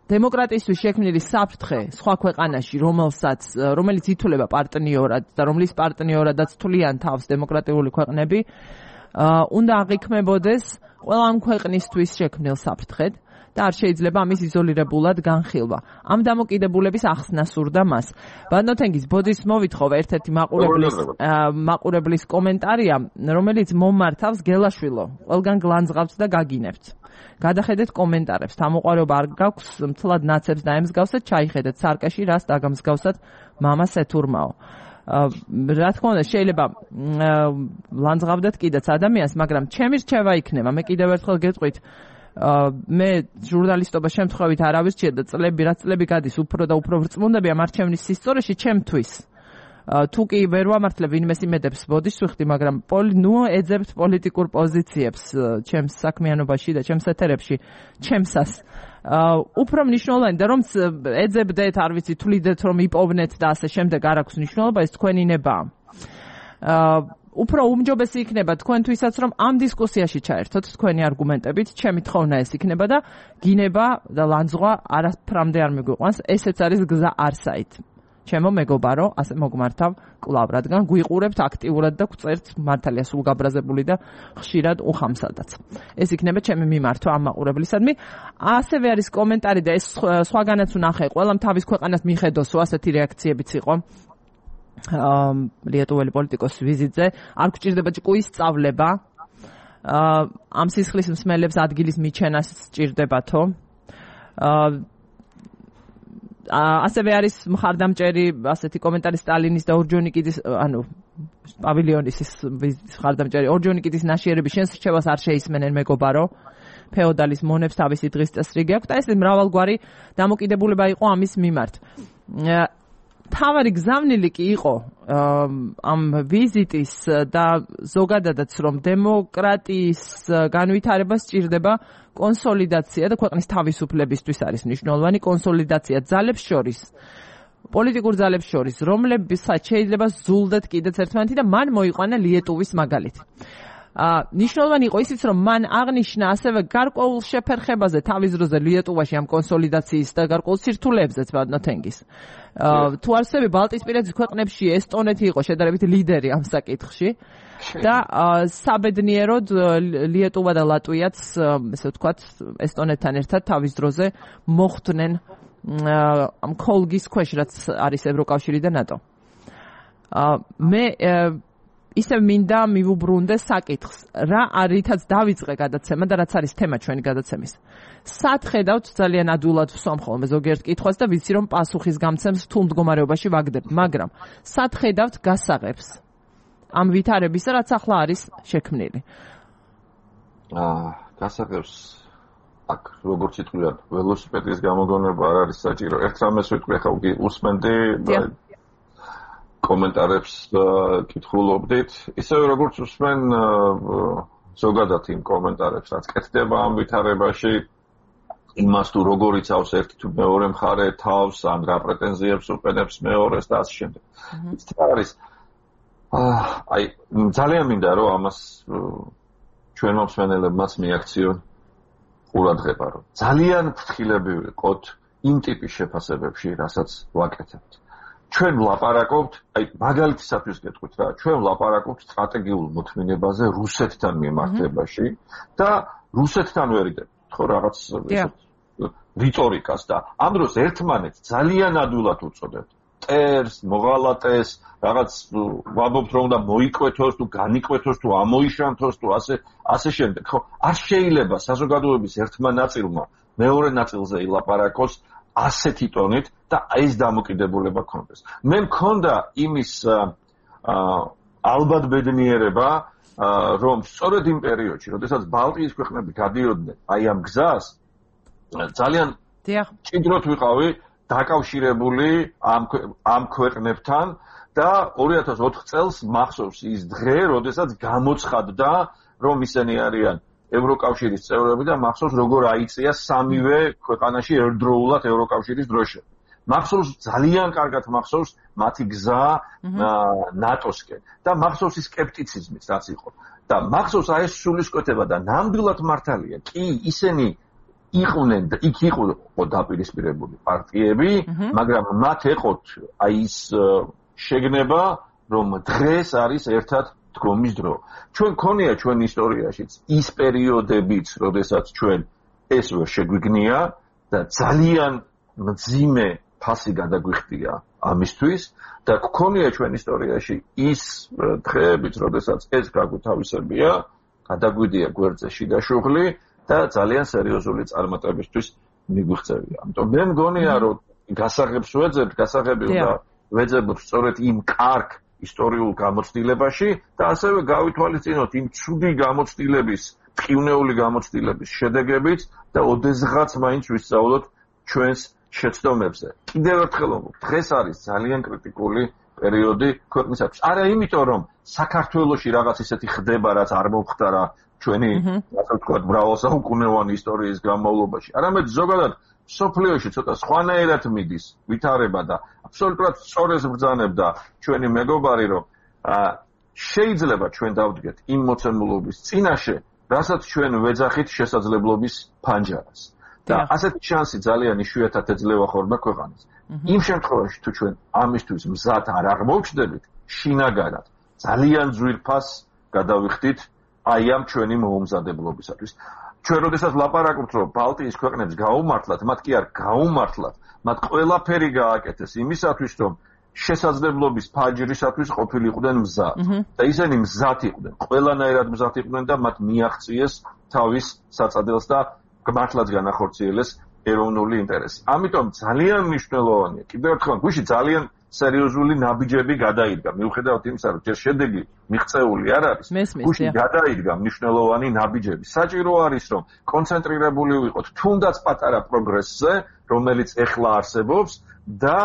დემოკრატიისთვის შექმნილი საფრთხე სხვა ქვეყანაში, რომელიც ითვლება პარტნიორად და რომლის პარტნიორადაც თვლიან თავს დემოკრატიული ქვეყნები, უნდა აღიქმებოდეს ყველა ამ ქვეყნისთვის შექმნილ საფრთხედ და არ შეიძლება ამის იზოლირებულად განხილვა. ამ დამოკიდებულების ახსნა სურდა მას. ბადნოთენგის ბოდის მოვითხოვ ერთ-ერთი მაყურებლის კომენტარია, რომელიც მომმართავს გელაშვილო, ყველგან გლანძღავთ და გაგინებთ. გადახედეთ კომენტარებს, თამოყვარეობა არ გაქვს, მთლად ნაცებს დაემსგავსეთ, ჩაიხედეთ სარკაში, რას დაგამსგავსათ მამას ეთურმაო. რა თქმა უნდა, შეიძლება ლანძღავდეთ კიდეც ადამიანს, მაგრამ ჩემი რჩევა იქნება, მე კიდევ ერთხელ გეტყვით, მე ჟურნალისტობა შემთხვევით არ ავირჩიე და რაც წლები გადის უფრო და უფრო ვრწმუნდები ამ არჩევნის სისწორეში ჩემთვის. თუ კი ვერ ვამართლებ ვინმეს იმედებს ბოდიშს ვიხდი, მაგრამ ეძებთ პოლიტიკურ პოზიციებს ჩემს საქმიანობაში და ჩემს ეთერებში, ჩემსას. უფრო მნიშვნელოვანი და რომ ეძებდეთ, არ ვიცი, თვლიდეთ რომ იპოვნეთ და ასე შემდეგ არ აქვს მნიშვნელობა, ეს თქვენი ნებაა. უფრო უმჯობესი იქნება თქვენთვისაც რომ ამ დისკუსიაში ჩაერთოთ თქვენი არგუმენტებით, ჩემი თხოვნა ეს იქნება და გინება და ლანძღვა არაფრამდე არ მიგვიყვანს, ესეც არის გზა არსაით. ჩემო მეგობარო, ასე მოგმართავ კლავ, რადგან გვიყურებთ აქტიურად და გვწერთ მართალია სულ გაბრაზებული და ხშირად უხამსადაც. ეს იქნება ჩემი მიმართვა ამ მაყურებლისადმი. ასევე არის კომენტარი და ეს სხვაგანაც ვნახე, ყველამ თავის ქვეყანას მიხედოსო, ასეთი რეაქციებიც იყო. ლიეტუველი პოლიტიკოსის ვიზიტზე არ გვჭირდება ჭკუის სწავლება, ამ სისხლის მსმელებს ადგილის მიჩენას სჭირდებათო. ასევე არის მხარდამჭერი ასეთი კომენტარი სტალინის და ორჯონიკიძის, პავილიონის მხარდამჭერი ორჯონიკიძის ნაშიერების შენს რჩევას არ შეისმენენ მეგობარო. ფეოდალის მონებს თავისი დღის წესრიგი აქვს და ეს მრავალგვარი დამოკიდებულება იყო ამის მიმართ. თავარი გზავნილი კი იყო ამ ვიზიტის და ზოგადადაც რომ დემოკრატიის განვითარება სჭირდება კონსოლიდაცია და ქვეყნის თავისუფლებისთვის არის მნიშვნელოვანი კონსოლიდაცია ძალებს შორის, პოლიტიკურ ძალებს შორის, რომლებსაც შეიძლება ზულდეთ კიდეც ერთმანეთი და მან მოიყვანა ლიეტუვის მაგალითი. ნიშნულოვანი იყო ისიც, რომ მან აღნიშნა ასევე გარკვეულ შეფერხებაზე თავის დროზე ლიეტუვაში ამ კონსოლიდაციის და გარკვეულ სირთულეებზეც ბადნოთენგის. თუ არსები ბალტიისპირეთის ქვეყნებში ესტონეთი იყო შედარებით ლიდერი ამ საკითხში და საბედნიეროდ ლიეტუვა და ლატვიაც, ესე ვთქვათ, ესტონეთთან ერთად თავის დროზე მოხვდნენ ამ ქოლგის ქვეშ, რაც არის ევროკავშირი და ნატო. მე ისევ მინდა მივუბრუნდე საკითხს, რა რითაც დავიწყე გადაცემა და რაც არის თემა ჩვენი გადაცემის. სათხედავთ ძალიან ადვილად ვსვამ ხოლმე ზოგიერთ კითხვას და ვიცი რომ პასუხის გამცემს თუ მდგომარეობაში ვაგდებთ, მაგრამ სათხედავთ გასაღებს ამ ვითარებისა, რაც ახლა არის შექმნილი. გასაღებს აქ როგორც იტყვიან, ველოსიპედის გამოგონება არ არის საჭირო. ერთ რამეს ვიტყვი, ახლა უსმენდი კომენტარებს კითხულობდით, ისევე როგორც უსმენ ზოგადად იმ კომენტარებს, რაც კეთდება ამ ვითარებაში, იმას თუ როგორ იცავს ერთი თუ მეორე მხარე თავს, ან რა პრეტენზიებს უყენებს მეორეს და ასე შემდეგ. ის არის ძალიან მინდა რომ ამას ჩვენ მომსმენელებმაც მიაქციონ ყურადღება, რომ ძალიან ფრთხილები ვიყოთ იმ ტიპის შეფასებებში, რასაც ვაკეთებთ. ჩვენ ვლაპარაკობთ, მაგალითისათვის გეტყვით რა, ჩვენ ვლაპარაკობთ სტრატეგიულ მოთმინებაზე რუსეთთან მიმართებაში და რუსეთთან ვერიდებით, ხო, რაღაც რიტორიკას და ამ დროს ერთმანეთს ძალიან ადვილად უწოდებთ. ტერს, მოღალატეს, რაღაც ვამბობთ რომ უნდა მოიკვეთოს თუ განიკვეთოს თუ ამოიშანთოს თუ ასე შემდეგ, ხო? არ შეიძლება საზოგადოების ერთმა ნაწილმა მეორე ნაწილზე ილაპარაკოს ასეთი ტონით და ეს დამოკიდებულება ქონდეს. მე მქონდა იმის ალბათ ბედნიერება, რომ სწორედ იმ პერიოდში, როდესაც ბალტიის ქვეყნები გადიოდნენ აი ამ გზას, ძალიან ჭიდროდ ვიყავი დაკავშირებული ამ ქვეყნებთან და 2004 წელს მახსოვს ის დღე, როდესაც გამოცხადდა, რომ ისინი არიან ევროკავშირის წევრები და მახსოვს როგორ აიწია სამივე ქვეყანაში ერთდროულად ევროკავშირის დროშა. მახსოვს ძალიან კარგად მახსოვს მათი გზა ნატოსკენ და მახსოვს ის სკეპტიციზმიც რაც იყო. და მახსოვს აი ეს სულისკვეთება და ნამდვილად მართალია. კი, ისინი იყვნენ და იქ იყო დაპირისპირებული პარტიები, მაგრამ მათ ეყოთ აი ის შეგნება, რომ დღეს არის ერთად დგომის დრო. ჩვენ ქონია ჩვენ ისტორიაშიც ის პერიოდებიც, როდესაც ჩვენ ეს ვერ შეგვიგნია და ძალიან მძიმე ფასი გადაგვიხდია ამისთვის და ქონია ჩვენ ისტორიაში ის დღეებიც, როდესაც ეს გაგვთავისებია, გადაგვიდია გვერდზე შიდა შუღლი და ძალიან სერიოზული წარმატებისთვის მიგვიღწევია. ამიტომ მე მგონია, რომ გასაღებს ვეძებთ სწორედ იმ კარგ ისტორიულ გამოცდილებაში და ასევე გავითვალისწინოთ იმ ცუდი გამოცდილების, ტყივნეული გამოცდილების შედეგებით და ოდესღაც მაინც ვისწავლოთ ჩვენს შეცდომებზე. კიდევ ერთხელ ვამბობ, დღეს არის ძალიან კრიტიკული პერიოდი ქვეყნისათვის. არა იმიტომ, რომ საქართველოში რაღაც ისეთი ხდება, რაც არ მომხდარა ჩვენი, ასე ვთქვათ, მრავალსაუკუნოვანი ისტორიის განმავლობაში. არამედ ზოგადად სოფლიოში ცოტა სხვანაირად მიდის ვითარება და აბსოლუტურად სწორეს ბრძანებდა ჩვენი მეგობარი, რომ შეიძლება ჩვენ დავდგეთ იმ მოცემულობის წინაშე, რასაც ჩვენ ვეძახით შესაძლებლობის ფანჯარას. და ასეთი შანსი ძალიან იშვიათად ეძლევა ხოლმე ქვეყანას. იმ შემთხვევაში თუ ჩვენ ამისთვის მზად არ აღმოჩნდებით, შინაგანად ძალიან ძვირფას გადავიხდით აი ამ ჩვენი მოუმზადებლობისათვის. ჩვენ როდესაც ლაპარაკობთ, რომ ბალტიის ქვეყნებს გაუმართლათ, მათ კი არ გაუმართლათ, მათ ყველაფერი გააკეთეს იმისათვის, რომ შესაძლებლობის ფანჯრისათვის ყოფილიყვნენ მზად. და ისინი მზად იყვნენ, ყველანაირად მზად იყვნენ და მათ მიაღწიეს თავის საწადელს და მართლაც განახორციელეს ეროვნული ინტერესი. ამიტომ ძალიან მნიშვნელოვანია. კიდევ ერთხელ, გუში ძალიან სერიოზული ნაბიჯები გადაიდგა. მიუხედავად იმისა, რომ ჯერ შედეგი მიღწეული არ არის, გუში გადაიდგა მნიშვნელოვანი ნაბიჯები. საჭირო არის, რომ კონცენტრირებული ვიყოთ თუნდაც პატარა პროგრესზე, რომელიც ეხლა არსებობს და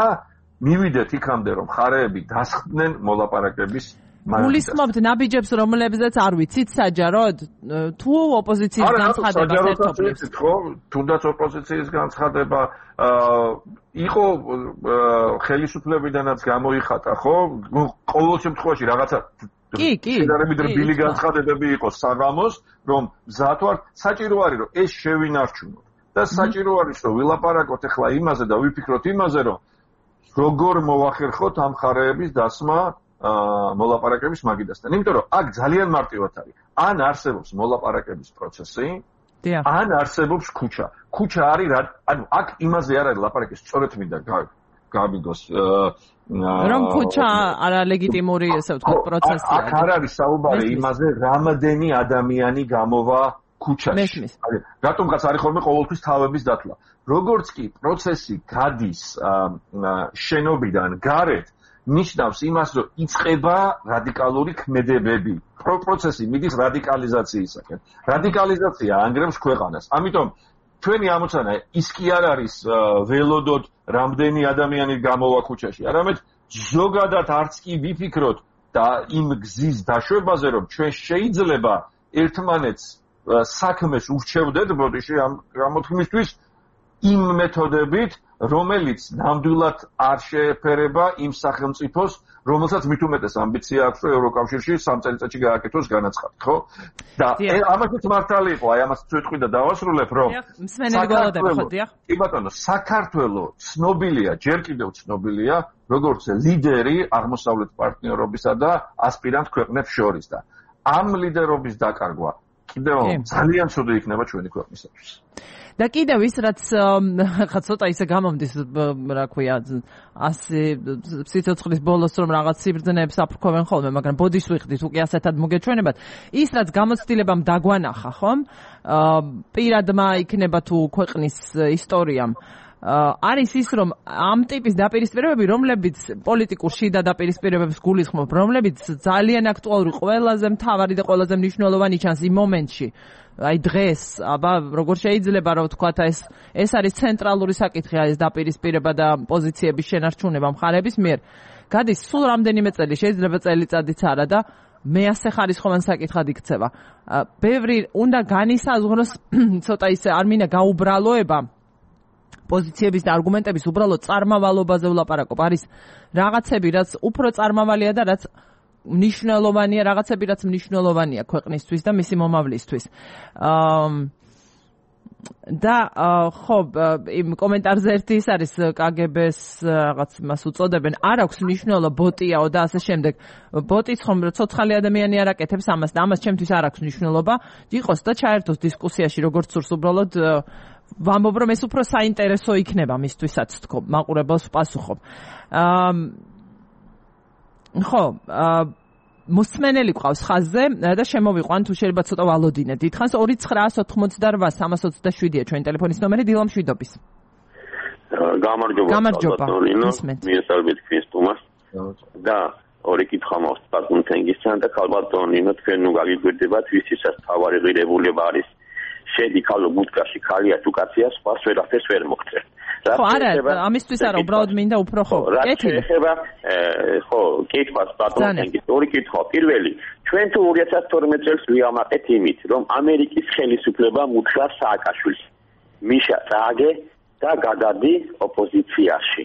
მივიდეთ იქამდე, რომ მხარეები დასხდნენ მოლაპარაკების გულისხმობთ ნაბიჯებს, რომლებზეც არ ვიცით საჯაროდ? თუ ოპოზიციის განცხადება ერთობლივს? ხო, თუნდაც ოპოზიციის განცხადება იყო ხელისუფლებიდანაც გამოიხატა, ხო? ყოველ შემთხვევაში რაღაცა შედარებით რბილი განცხადებები იყო საღამოს, რომ მზად ვართ, საჭირო არის, რომ ეს შევინარჩუნოთ. და საჭირო არის, რომ ვილაპარაკოთ ახლა იმაზე და ვიფიქროთ იმაზე, რომ როგორ მოვახერხოთ ამ მხარეების დასმა მოლაპარაკების მაგიდასთან. იმიტომ რომ აქ ძალიან მარტივად არის. ან არსებობს მოლაპარაკების პროცესი, ან არსებობს ქუჩა. ქუჩა არის, ანუ აქ იმაზე არ არის ლაპარაკი, სწორედ მინდა გავიგოს. რომ ქუჩა არალეგიტიმური, ესე ვთქვათ, პროცესია. აქ არ არის საუბარი იმაზე, რამდენი ადამიანი გამოვა ქუჩაში. რატომღაც არის ხოლმე ყოველთვის თავების დათვლა. როგორც კი პროცესი გადის შენობიდან გარეთ, ნიშნავს იმას, რომ იწყება რადიკალური ქმედებები. პროცესი მიდის რადიკალიზაციისაკენ. რადიკალიზაცია ანგრევს ქვეყანას. ამიტომ ჩვენი ამოცანა ის კი არ არის ველოდოთ რამდენი ადამიანი გამოვა ქუჩაში, არამედ ზოგადად არც კი ვიფიქროთ და იმ გზის დაშვებაზე, რომ ჩვენ შეიძლება ერთმანეთს საქმეს ურჩევდეთ ბოდიში ამ გამოთქმისთვის იმ მეთოდებით, რომელიც ნამდვილად არ შეეფერება იმ სახელმწიფოს, რომელსაც მით უმეტეს ამბიცია აქვს, რომ ევროკავშირში 3 წელიწადში გააკეთოს განაცხადი, ხო? და ამასაც მართალი იყო, აი ამას წვეთყვი და დავასრულებ, რომ კი ბატონო, საქართველო ცნობილია, ჯერ კიდევ ცნობილია, როგორც ლიდერი აღმოსავლეთ პარტნიორობისა და ასპირანტ ქვეყნებს შორის და ამ ლიდერობის დაკარგვა კიდევ ძალიან ცუდი იქნება ჩვენი ქვეყნისათვის. და კიდევ ის რაც ხა ცოტა ისე გამომდის, რა ქვია, ასე სიცოცხლის ბოლოს რომ რაღაც სიბრძნეებს აფრქვევენ ხოლმე, მაგრამ ბოდიშს ვიხდით უკვე ასეთად მოგეჩვენებათ. ის რაც გამოცდილებამ დაგვანახა, ხომ? პირადმა იქნება თუ ქვეყნის ისტორიამ არის ის, რომ ამ ტიპის დაპირისპირებები, რომლებიც პოლიტიკურ შიდა დაპირისპირებებს გულისხმობ, რომლებიც ძალიან აქტუალური, ყველაზე მთავარი და ყველაზე მნიშვნელოვანი ჩანს იმ მომენტში, აი დღეს, აბა როგორ შეიძლება რომ ვთქვათ, ეს არის ცენტრალური საკითხი, ეს დაპირისპირება და პოზიციების შენარჩუნება მხარეების მიერ. გადის სულ რამდენიმე წელი, შეიძლება წელიწადიც არა და მეასე ხარისხოვან საკითხად იქცევა. ბევრი უნდა განისაზღვროს ცოტა ისე არ მინდა გაუბრალოება პოზიციების და არგუმენტების უბრალოდ წარმავალობაზე ვლაპარაკობ. არის რაღაცები, რაც უფრო წარმავალია და რაც მნიშვნელოვანია, რაღაცები, რაც მნიშვნელოვანია ქვეყნისთვის და მისი მომავლისთვის. და ხო იმ კომენტარზე ერთი ის არის KGB-ს რაღაც მას უწოდებენ არ აქვს მნიშვნელობა ბოტიაო და ასე შემდეგ ბოტიც ხომ ცოცხალი ადამიანი არ აკეთებს ამას და ამას ჩემთვის არ აქვს მნიშვნელობა იყოს და ჩაერთოს დისკუსიაში როგორც სურს უბრალოდ ვამბობ რომ ეს უფრო საინტერესო იქნება მისთვისაც თქო მაყურებელს ვპასუხობ ხო მოსმენელი ყავს ხაზზე და შემოვიყვან თუ შეიძლება ცოტა ვალოდინეთ. დიდხანს 2988-327-ია ჩვენი ტელეფონის ნომერი დილამ შვიდობის. გამარჯობა. მიესალმებით თქვენს თუმას. და ორი კითხვა მაქვს ბატონ თენგისთან და ქალბატონინო თქვენ ნუ გაგიგვირდებათ ვისიცაც თავარი ღირებულება არის შედი ქალო ბუდკაში ქალია თუ კაცია სხვას ვერაფერს ვერ მოგწევ. ხო არა ამისთვის არა უბრალოდ მინდა უფრო ხო კეთილი ხო კითხვას ბატონ თენგის ორი კითხვა პირველი ჩვენ თუ 2012 წელს ვიამაყეთ იმით რომ ამერიკის ხელისუფლება მუთხრა სააკაშვილს მიშა წააგე და გადადი ოპოზიციაში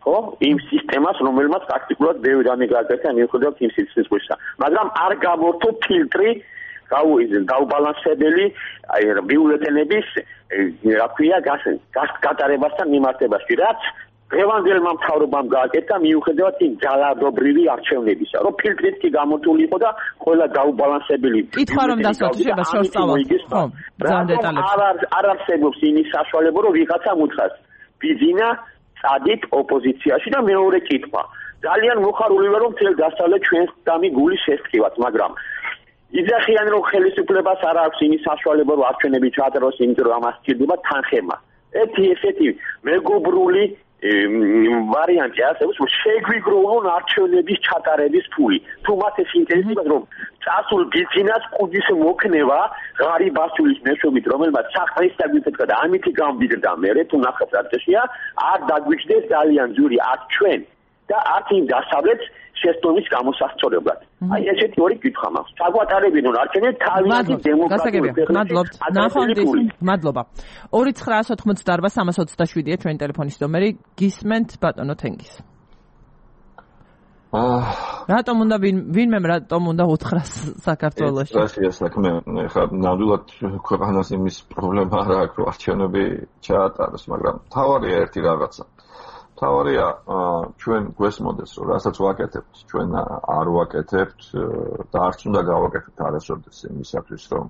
ხო იმ სისტემას რომელმაც პრაქტიკულად ბევრი რამე გააკეთა მიუხედავად იმ სისტემისა მაგრამ არ გამორთო ფილტრი გაუბალანსებელი ბიულეტენების რა ქვია გატარებასთან მიმართებაში რაც დღევანდელმა მთავრობამ გააკეთა მიუხედავად იმ ძალადობრივი არჩევნებისა რომ ფილტრით კი გამორთული იყო და ყველა გაუბალანსებელი კითხვა რომ დასვათ შეიძლება შორს წავალ ხო ძალიან დეტალებში არ არსებობს იმის საშუალება რომ ვიღაცა მუთხრას ბიძინა წადით ოპოზიციაში და მეორე კითხვა ძალიან მოხარული ვარ რომ მთელ დასავლეთ ჩვენს დამი გული შესწივათ მაგრამ იძახიან რომ ხელისუფლებას არ აქვს იმის საშუალება რომ არჩევნები ჩაატაროს იმიტომ რომ ამას სჭირდება თანხება ესეთი მეგობრული ვარიანტი არსებობს რომ შეგვიგროვონ არჩევნების ჩატარების ფული თუ მათ ეს ინტერესებს რომ წასულ ბიზნეს კუდის მოქნება ღარიბაშვილის მეშვეობით რომელმაც სახლის დაგვითეთქა და ამითი გამბირდა მე თუ ნახეთ რა წესია არ დაგვიჩნდეს ძალიან ძვირი არ ჩვენ და არც იმ დასავლეთ შეცდომის გამოსასწორებლად. აი ესეთი ორი კითხვა მაქვს. საგვატარებინონ არჩევნები თავიანთი დემოკრატიული მადლობთ. ნახვამდის. მადლობა. 2988-327-ია ჩვენი ტელეფონის ნომერი. გისმენთ ბატონო თენგის. რატომ უნდა რატომ უნდა უთხრას საქართველოში? ეს საქმე ხა ნამდვილად ქვეყანას იმის პრობლემა არ აქვს რომ არჩევნები ჩაატაროს, მაგრამ თავარია ერთი რაღაცა. თავარია ჩვენ გვესმოდეს რომ რასაც ვაკეთებთ ჩვენ არ ვაკეთებთ და არც უნდა გავაკეთოთ არასოდეს იმისათვის რომ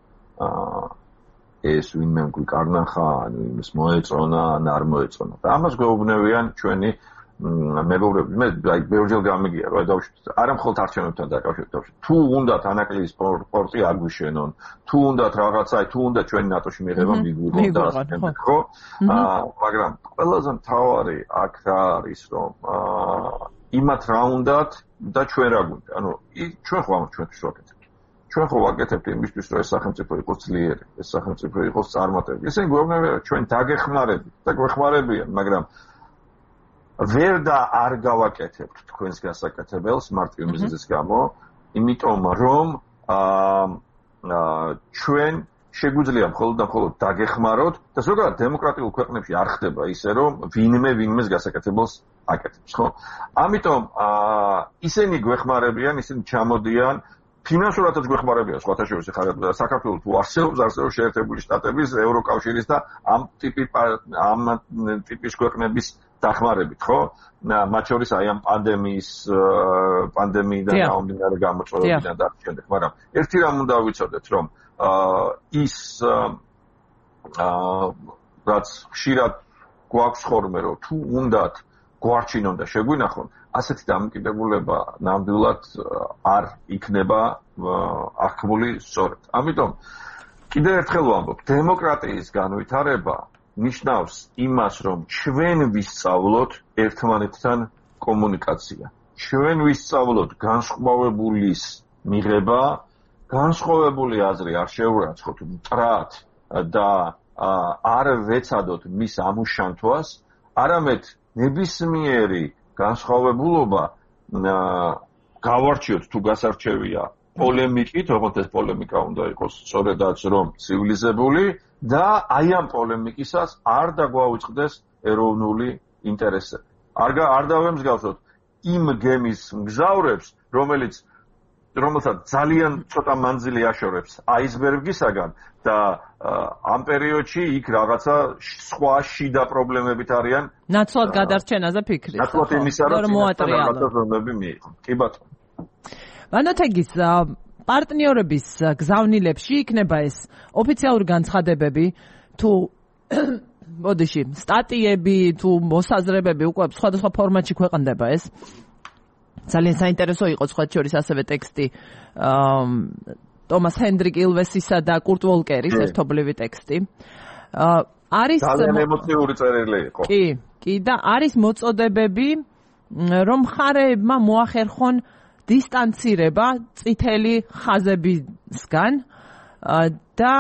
ეს ვინმე გვიკარნახა ანუ იმის მოეწონა ან არ მოეწონა და ამას გვეუბნებიან ჩვენი მეგობრები მე აი ბევრჯერ გამიგია რომ დავშვით არა მხოლოდ არჩევნებთან დაკავშირებით თუ უნდათ ანაკლიის სპორტი არ გვიშენონ თუ უნდათ რაღაცა თუ უნდა ჩვენი ნატოში მიღება მიგვიღონ და ასე ხო მაგრამ ყველაზე მთავარი აქ რა არის რომ იმათ რა უნდათ და ჩვენ რა გვინდა ანუ ჩვენ ხო ამას ჩვენთვის ვაკეთებთ ჩვენ ხო ვაკეთებთ იმისთვის რომ ეს სახელმწიფო იყოს ძლიერი ეს სახელმწიფო იყოს წარმატებული ისინი გვეუბნებიან რომ ჩვენ დაგეხმარებით და გვეხმარებიან მაგრამ ვერ და არ გავაკეთებთ თქვენს გასაკეთებელს მარტივ მიზეზის გამო, იმიტომ რომ ჩვენ შეგვიძლია მხოლოდ და მხოლოდ დაგეხმაროთ და ზოგადად დემოკრატიულ ქვეყნებში არ ხდება ისე რომ ვინმეს გასაკეთებელს აკეთებს, ხო? ამიტომ ისინი გვეხმარებიან, ისინი ჩამოდიან ფინანსურადაც გვეხმარებიან სხვათა შორის ხარ საქართველოს თუ არსებობს შეერთებული შტატების, ევროკავშირის და ამ ტიპის ქვეყნების დახმარებით, ხო? მათ შორის აი ამ პანდემიიდან გამომდინარე გამოწვევებიდან და ამ შემდეგ, მაგრამ ერთი რამ უნდა ვიცოდეთ, რომ ის რაც ხშირად გვაქვს ხოლმე, რომ თუ უნდათ გვარჩინონ და შეგვინახონ, ასეთი დამოკიდებულება ნამდვილად არ იქნება აღქმული სწორად. ამიტომ კიდევ ერთხელ ვამბობ, დემოკრატიის განვითარება ნიშნავს იმას, რომ ჩვენ ვისწავლოთ ერთმანეთთან კომუნიკაცია. ჩვენ ვისწავლოთ განსხვავებულის მიღება, განსხვავებული აზრი არ შევურაცხოთ მტრად და არ ვეცადოთ მის ამუშანთვას, არამედ ნებისმიერი განსხვავებულობა გავარჩიოთ თუ გასარჩევია პოლემიკით, როგორც ეს პოლემიკა უნდა იყოს სწორედაც რომ ცივილიზებული და აი ამ პოლემიკისას არ დაგვაუწყდეს ეროვნული ინტერესები. არ დავემსგავსოთ იმ გემის მგზავრებს, რომელიც რომელსაც ძალიან ცოტა მანძილი აშორებს აისბერგისაგან და ამ პერიოდში იქ რაღაცა სხვა შიდა პრობლემებით არიან. ნაცვლად გადარჩენაზე ფიქრის. ნაცვლად იმისა, რომ რაღაცა ზომები მიიღო. კი ბატონო. ვანოთეგის პარტნიორების გზავნილებში იქნება ეს ოფიციალური განცხადებები თუ მოდიში სტატიები თუ მოსაზრებები უკვე სხვადასხვა ფორმატში ქვეყნდება ეს. ძალიან საინტერესო იყო სხვა შორის ასევე ტექსტი ტომას ჰენდრიკ ილვესისა და კურტ ვოლკერის ერთობლივი ტექსტი. არის ძალიან ემოციური წერილი იყო. კი და არის მოწოდებები რომ მხარეებმა მოახერხონ დისტანცირება წითელი ხაზებისგან და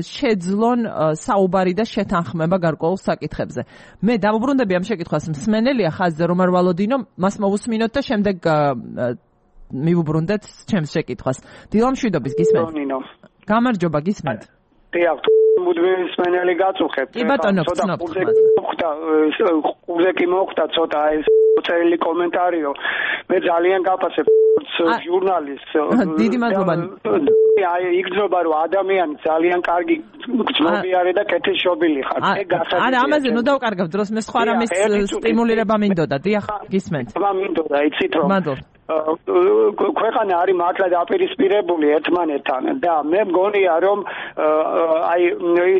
შეძლონ საუბარი და შეთანხმება გარკვეულ საკითხებზე. მე დავუბრუნდები ამ შეკითხვას, მსმენელია ხაზზე რომ არ ვალოდინო, მას მოვუსმინოთ და შემდეგ მივუბრუნდეთ ჩემს შეკითხვას. დილამშვიდობის გისმენთ? გამარჯობა, გისმენთ? დიახ, მუდმივი მსმენელი გაწუხებთ. კი ბატონო, ვცნობთ. ყურზე კი მოხვდა ცოტა ეს წერილი კომენტარიო. მე ძალიან გაფასებ ჟურნალისტს. დიდი მადლობა. აი იგრძნობა რომ ადამიანი ძალიან კარგი გრძნობიარე და კეთილშობილი ხარ. არა, ამაზე ნუ დავკარგავ დროს, მე სხვა რამის სტიმულირება მინდოდა. დიახ, გისმენთ. მინდოდა, იცით რომ. მადლობა. ქვეყანა არის მართლა დაპირისპირებული ერთმანეთთან და მე მგონია რომ აი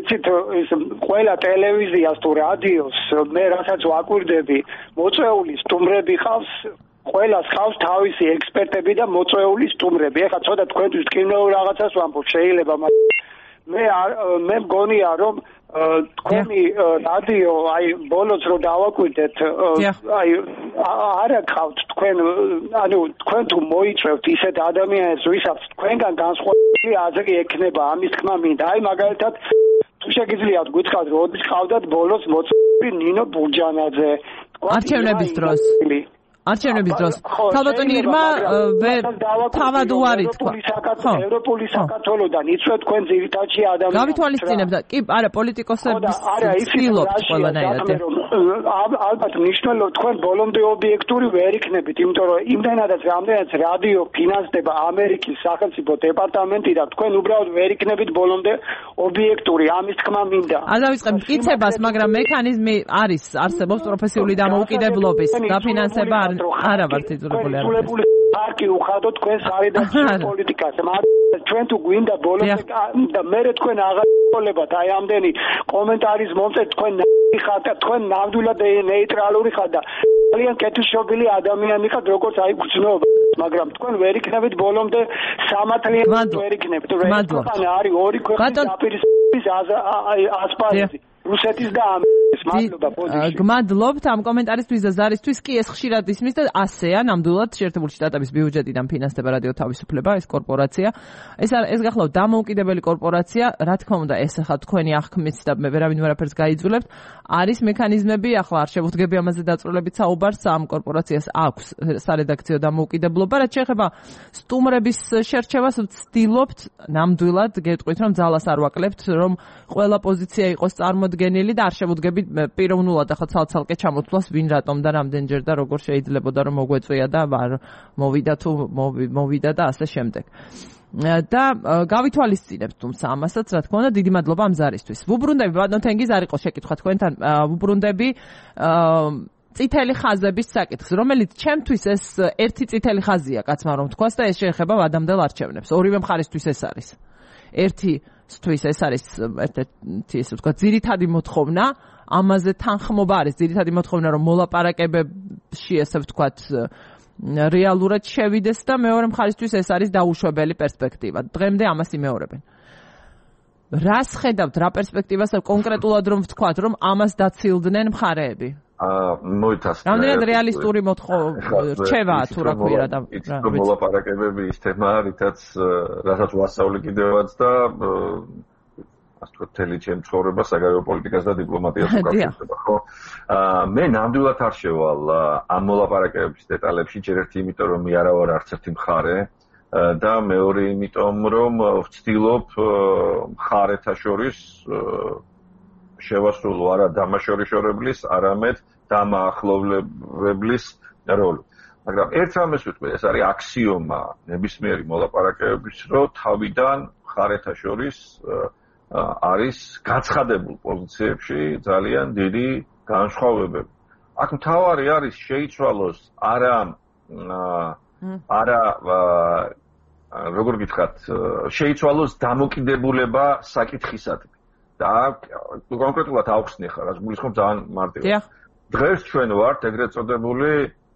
იცით ეს ყველა ტელევიზიას თუ რადიოს მე რასაც ვაკვირდები მოწვეული სტუმრები ხავს ყველას ხავს თავისი ექსპერტები და მოწვეული სტუმრები. ეხლა ცოტა თქვენთვის ტკივნეულ რაღაცას ვამბობ შეიძლება მე მგონია რომ თქვენი რადიო აი ბოლოს რო დავაკვირდეთ აი არა გყავთ თქვენ ანუ თქვენ თუ მოიწევთ ისეთ ადამიანებს ვისაც თქვენგან განსხვავებული აზრი ექნება ამის თქმა მინდა. აი მაგალითად თუ შეგიძლიათ გითხრათ როდის ყავდათ ბოლოს მოწვეული ნინო ბურჯანაძე არჩევნების დროს ქალბატონი ირმა თავად უარი თქვა. ევროპული საქართველოდან იცვეთ თქვენ ძირითადში ადამიანებს. გავითვალისწინებთ და კი არა პოლიტიკოსების ცდილობთ ყველანაირად. ალბათ მნიშვნელოვანია თქვენ ბოლომდე ობიექტური ვერ იქნებით, იმიტომ რომ იმდენადაც რამდენიც რადიო ფინანსდება ამერიკის სახელმწიფო დეპარტამენტი და თქვენ უბრალოდ ვერ იქნებით ბოლომდე ობიექტური, ამის თქმა მინდა. არ დავიწყებ მტკიცებას, მაგრამ მექანიზმი არსებობს პროფესიული დამოუკიდებლობის დაფინანსება არა ვართ იძულებული არ პარტი უხადო თქვენ სარედაქციო პოლიტიკას. ჩვენ თუ გვინდა ბოლომდე და მე თქვენ აღარ გოლებათ აი ამდენი კომენტარის მომწეთ თქვენ ხართ და თქვენ ნამდვილად ნეიტრალური ხართ და ძალიან კეთილშობილი ადამიანი ხართ როგორც აი გძნობა, მაგრამ თქვენ ვერ იქნებით ბოლომდე სამართლიანი ვერ იქნებით. ქვეყანა არის ორი ქვეყნის დაპირისპირების ასპარეზი. რუსეთის და ამერიკის მადლობა ბოდიში. გმადლობთ ამ კომენტარისთვის და ზარისთვის კი ეს ხშირად ისმის და ასეა ნამდვილად შეერთებული შტატების ბიუჯეტიდან ფინანსდება რადიო თავისუფლება ეს კორპორაცია. ეს გახლავთ დამოუკიდებელი კორპორაცია, რა თქმა უნდა ეს ახლა თქვენი აღქმით და მე ვერავინ ვერაფერს გაიძულებთ. არის მექანიზმები, ახლა არ შევუდგები ამაზე დაწვრილებით საუბარს, ამ კორპორაციას აქვს სარედაქციო დამოუკიდებლობა, რაც შეეხება სტუმრების შერჩევას ვცდილობთ ნამდვილად გეტყვით რომ ძალას არ ვაკლებთ, რომ ყველა პოზიცია იყოს წარმოდგენილი და არ შევუდგებით პიროვნულად ახლა ცალ-ცალკე ჩამოთვლას ვინ რატომ და რამდენჯერ და როგორ შეიძლებოდა რომ მოგვეწვია და მოვიდა თუ მოვიდა და ასე შემდეგ. და გავითვალისწინებთ თუმცა ამასაც რა თქმა უნდა დიდი მადლობა ამ ზარისთვის. ვუბრუნდები ბატონთენგიზ არ იყო შეკითხვა თქვენთან, ვუბრუნდები წითელი ხაზების საკითხს, რომელიც ჩემთვის ეს ერთი წითელი ხაზია, კაცმა რომ თქვას და ეს შეეხება ვადამდელ არჩევნებს. ორივე მხარისთვის ეს არის. ერთისთვის ეს არის ერთ-ერთი ესე ვთქვა ძირითადი მოთხოვნა, ამაზე თანხმობა არის ძირითადი მოთხოვნა რომ მოლაპარაკებებში ესე ვთქვათ რეალურად შევიდეს და მეორე მხარისთვის ეს არის დაუშვებელი პერსპექტივა. დღემდე ამას იმეორებენ. რას ხედავთ, რა პერსპექტივას კონკრეტულად რომ ვთქვათ, რომ ამას დაცილდნენ მხარეები? მოითასკნა. რამდენად რეალისტური რჩევაა თუ რა ქვია და მოლაპარაკებები ის თემა, რასაც ვასწავლი კიდევაც და ასე ვთქვათ, მთელი ჩემი ცხოვრება საგარეო პოლიტიკას და დიპლომატიას უკავშირდება, ხო? მე ნამდვილად არ შევალ ამ მოლაპარაკებების დეტალებში, ჯერ ერთი იმიტომ რომ მე არა ვარ არც ერთი მხარე და მეორე იმიტომ რომ ვცდილობ მხარეთა შორის შევასრულო არა დამაშორიშორებლის, არამედ დამაახლოვებლის როლი. მაგრამ ერთ რამეს ვიტყვი, ეს არის აქსიომა ნებისმიერი მოლაპარაკებების, რომ თავიდან მხარეთა შორის არის გაცხადებულ პოზიციებში ძალიან დიდი განსხვავებები. აქ მთავარი არის შეიცვალოს როგორ გითხრათ, შეიცვალოს დამოკიდებულება საკითხისადმი. და კონკრეტულად ავხსნი ხარ, რაც გულისხმობ ძალიან მარტივად. დღეს ჩვენ ვართ ეგრეთ წოდებული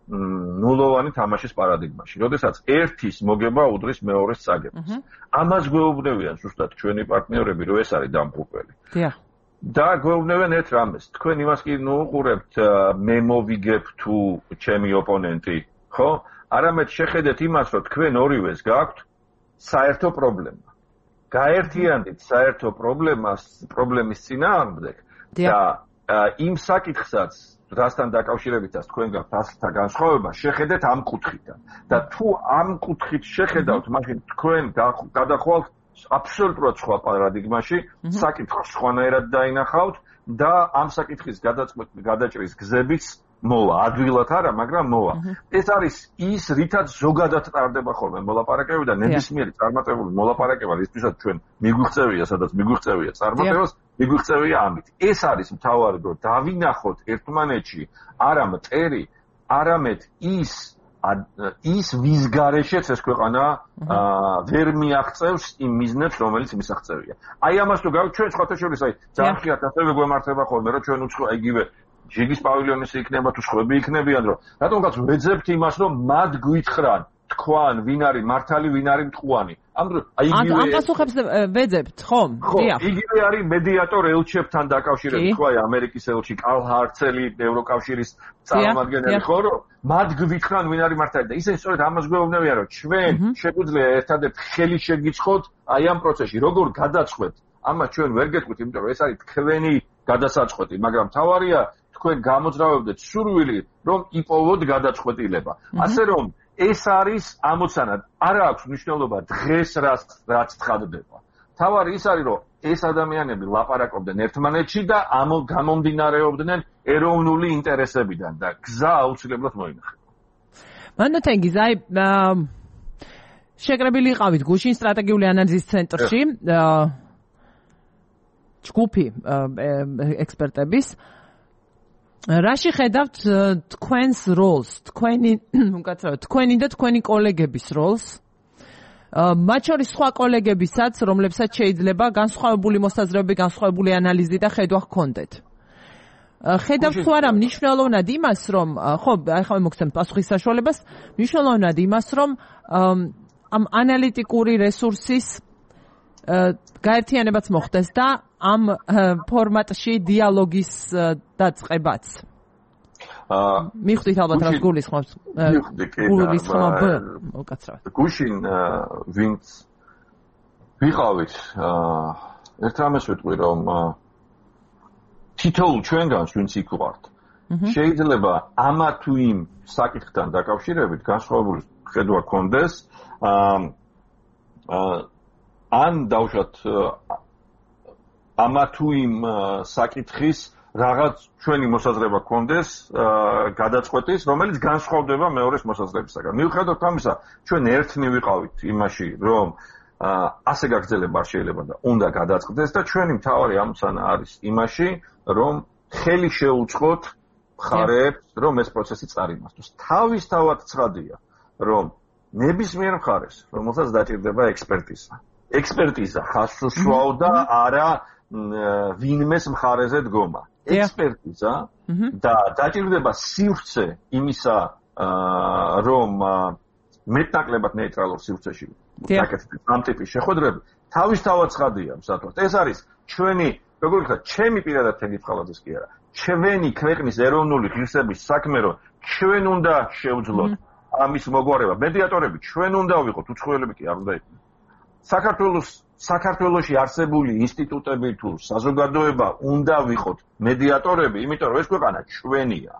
ნულოვანი თამაშის პარადიგმაში, როდესაც ერთის მოგება უდრის მეორეს წაგებას. ამას გვეუბნებიან ზუსტად ჩვენი პარტნიორები, რომ ეს არის დამფუძნებელი. და გვეუბნებიან ერთ რამეს, თქვენ იმას კი უყურებთ, მე მოვიგებ თუ ჩემი ოპონენტი, ხო? არამედ შეხედეთ იმას, რომ თქვენ ორივეს გაქვთ საერთო პრობლემა. გაერთიანდით საერთო პრობლემის წინააღმდეგ და იმ საკითხსაც რასთან დაკავშირებითაც თქვენ გაქვთ ასთა განსხვავება, შეხედეთ ამ კუთხიდან. და თუ ამ კუთხით შეხედავთ, მაშინ თქვენ გადახვალთ აბსოლუტურად სხვა პარადიგმაში, საკითხს სხვანაირად დაინახავთ და ამ საკითხის გადაჭრის გზებიც მოვა, ადვილად არა, მაგრამ მოვა. ეს არის ის, რითაც ზოგადად ტარდება ხოლმე მოლაპარაკებები და ნებისმიერი წარმატებული მოლაპარაკება, რისთვისაც ჩვენ მიგვიღწევია, სადაც მიგვიღწევია წარმატებას, მიგვიღწევია ამით. ეს არის მთავარი, რომ დავინახოთ ერთმანეთში არა მტერი, არამედ ის ვის გარეშეც ეს ქვეყანა ვერ მიაღწევს იმ მიზნებს, რომელიც მისაღწევია. აი ამას თუ გავიქ ჩვენ სხვათა შორის, აი ძალიან ხშირად ასევე გვემართება ხოლმე, რომ ჩვენ უცხო იგივე ჯიგის პავილიონის იქნება თუ სხვები იქნებიან, რომ რატომღაც ვეძებთ იმას, რომ მათ გვითხრან, თქვან, ვინ არის მართალი, ვინ არის მტყუანი. ამ პასუხებს ვეძებთ, ხომ? დიახ. იგივე არის მედიატორ ელჩებთან დაკავშირებით, ხო, ამერიკის ელჩი კალ ჰარცელი, ევროკავშირის წარმომადგენელი, ხო, რომ მათ გვითხრან, ვინ არის მართალი და ისინი სწორედ ამას გვეუბნებიან, რომ ჩვენ შეგვიძლია ერთადერთ ხელი შეგიცხოთ აი ამ პროცესში, როგორ გადაწყვეტ. ამას ჩვენ ვერ გეტყვით, იმიტომ რომ ეს არის თქვენი გადასაწყვეტი, მაგრამ თავარია თქვენ გამოძრავებდეთ სურვილი, რომ იპოვოთ გადაწყვეტილება. ასე რომ ეს არის ამოცანა. არ აქვს მნიშვნელობა დღეს რაც ცხადდება. თავარი ის არის, რომ ეს ადამიანები ლაპარაკობდნენ ერთმანეთში და გამომდინარეობდნენ ეროვნული ინტერესებიდან და გზა აუცილებლად მოინახება. მანდათენგიზ, აი შეკრებილი იყავით გუშინ სტრატეგიული ანალიზის ცენტრში, ჯგუფი ექსპერტების. რაში ხედავთ თქვენს როლს, თქვენი და თქვენი კოლეგების როლს? მათ შორის სხვა კოლეგებისაც, რომლებსაც შეიძლება განსხვავებული მოსაზრებები, განსხვავებული ანალიზი და ხედვა ჰქონდეთ. ხედავთ თუ არა მნიშვნელოვნად იმას, რომ ხო, ახლა მოგცემთ პასუხის საშუალებას, მნიშვნელოვნად იმას, რომ ამ ანალიტიკური რესურსის გაერთიანებაც მოხდეს და ამ ფორმატში დიალოგის დაწყებაც. მიხვდით ალბათ რა გულისხმობს. გულისხმობ უკაცრავად. გუშინ ვინც ვიყავით ერთ რამეს ვიტყვი, რომ თითოეულ ჩვენგანს ვინც იქ ვართ, შეიძლება ამა თუ იმ საკითხთან დაკავშირებით განსხვავებული ხედვა გქონდეს, ან დავუშვათ ამა თუ იმ საკითხის რაღაც ჩვენი მოსაზრება გქონდეს გადაწყვეტის, რომელიც განსხვავდება მეორეს მოსაზრებისაგან. მიუხედავად ამისა, ჩვენ ერთნი ვიყავით იმაში, რომ ასე გაგრძელება არ შეიძლება და უნდა გადაწყდეს და ჩვენი მთავარი ამოცანა არის იმაში, რომ ხელი შეუწყოთ მხარეებს, რომ ეს პროცესი წარიმართოს. თავისთავად ცხადია, რომ ნებისმიერ მხარეს, რომელსაც დაჭირდება ექსპერტიზა ხაზს უსვავდა არა ვინმეს მხარეზე დგომა. ექსპერტიზა და დაჭირდება სივრცე იმისა, რომ მეტნაკლებად ნეიტრალურ სივრცეში დაკეთდეს ამ ტიპის შეხვედრები, თავისთავად ცხადია მსათვად. ეს არის ჩვენი, როგორ ვთქვათ, ჩემი პირადად თემითყალაძის კი არა, ჩვენი ქვეყნის ეროვნული ღირსების საქმე, რომ ჩვენ უნდა შევძლოთ ამის მოგვარება. მედიატორები ჩვენ უნდა ვიყოთ, უცხოელები კი არ უნდა იყვნენ. საქართველოში არსებული ინსტიტუტები თუ საზოგადოება უნდა ვიყოთ მედიატორები, იმიტომ რომ ეს ქვეყანა ჩვენია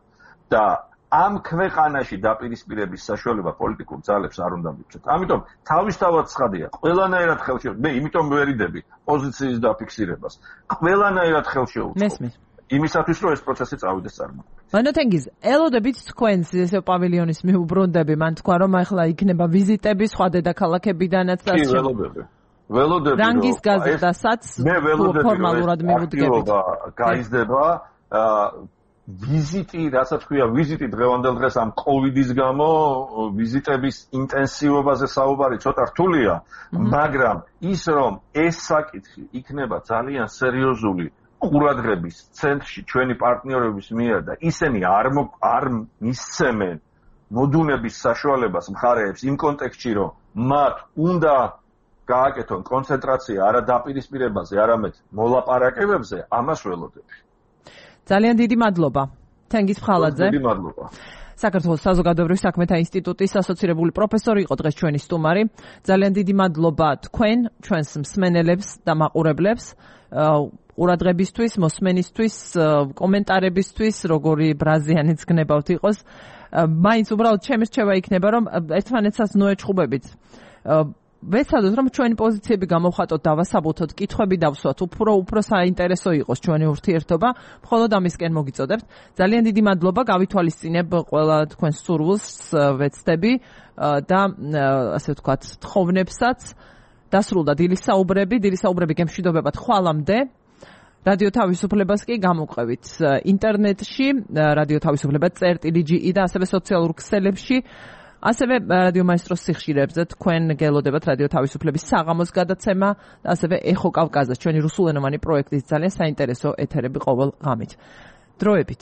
და ამ ქვეყანაში დაპირისპირების საშუალება პოლიტიკურ ძალებს არ უნდა მივცეთ. ამიტომ თავისთავად ცხადია, ყველანაირად ხელშეუწყო, მე იმიტომ ვერიდები პოზიციის დაფიქსირებას. ყველანაირად ხელშეუწყო. იმისათვის რომ ეს პროცესი წავიდეს წარმატებით. ანუ თენგიზ, ელოდებით თქვენს ესე პავილიონის მიუბრუნდები, მან თქვა რომ ახლა იქნება ვიზიტები სხვა დედაქალაქებიდანაც და ველოდები რანგის გაზრდასაც ფორმალურად მივუდგებით. გაიზრდება ვიზიტი, რასაც ქვია ვიზიტი დღევანდელ დღეს ამ კოვიდის გამო ვიზიტების ინტენსივობაზე საუბარი ცოტა რთულია, მაგრამ ის რომ ეს საკითხი იქნება ძალიან სერიოზული ყურადღების ცენტრში ჩვენი პარტნიორების მიერ და ისინი არ მისცემენ მოდუნების საშუალებას მხარეებს იმ კონტექსტში რომ მათ უნდა გააკეთონ კონცენტრაცია არა დაპირისპირებაზე, არამედ მოლაპარაკებებზე, ამას ველოდები. ძალიან დიდი მადლობა. თენგიზ ფხალაძე. დიდი მადლობა. საქართველოს საზოგადოებრივი საქმეთა ინსტიტუტის ასოცირებული პროფესორი იყო დღეს ჩვენი სტუმარი. ძალიან დიდი მადლობა თქვენ, ჩვენს მსმენელებს და მაყურებლებს. ყურადღებისთვის, მოსმენისთვის, კომენტარებისთვის, როგორი ბრაზიანიც გნებავთ იყოს. მაინც უბრალოდ ჩემი რჩევა იქნება, რომ ერთმანეთსაც ნოეჩხუბებით. ვეცადოთ, რომ ჩვენი პოზიციები გამოვხატოთ, დავასაბუთოთ, კითხვები დავსვათ, უფრო საინტერესო იყოს ჩვენი ურთიერთობა, მხოლოდ ამისკენ მოგიწოდებთ. ძალიან დიდი მადლობა, გავითვალისწინებ ყველა თქვენს სურვილს, ვეცდები და ასე ვთქვათ, თხოვნებსაც. დასრულდა დილის საუბრები გემშვიდობებათ ხვალამდე. რადიო თავისუფლებას კი გამოვყევით ინტერნეტში, რადიო თავისუფლება.ge და ასევე სოციალურ ქსელებში. ასევე რადიო მაესტროს სიხშირეებზე თქვენ გელოდებათ რადიო თავისუფლების საღამოს გადაცემა და ასევე ეხო კავკაზას ჩვენი რუსულენოვანი პროექტის ძალიან საინტერესო ეთერები ყოველ ღამით. დროებით.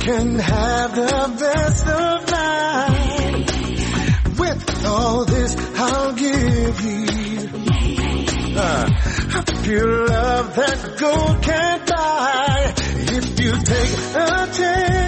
Can have the best of life. With all this I'll give you a pure love that gold can't buy. If you take a chance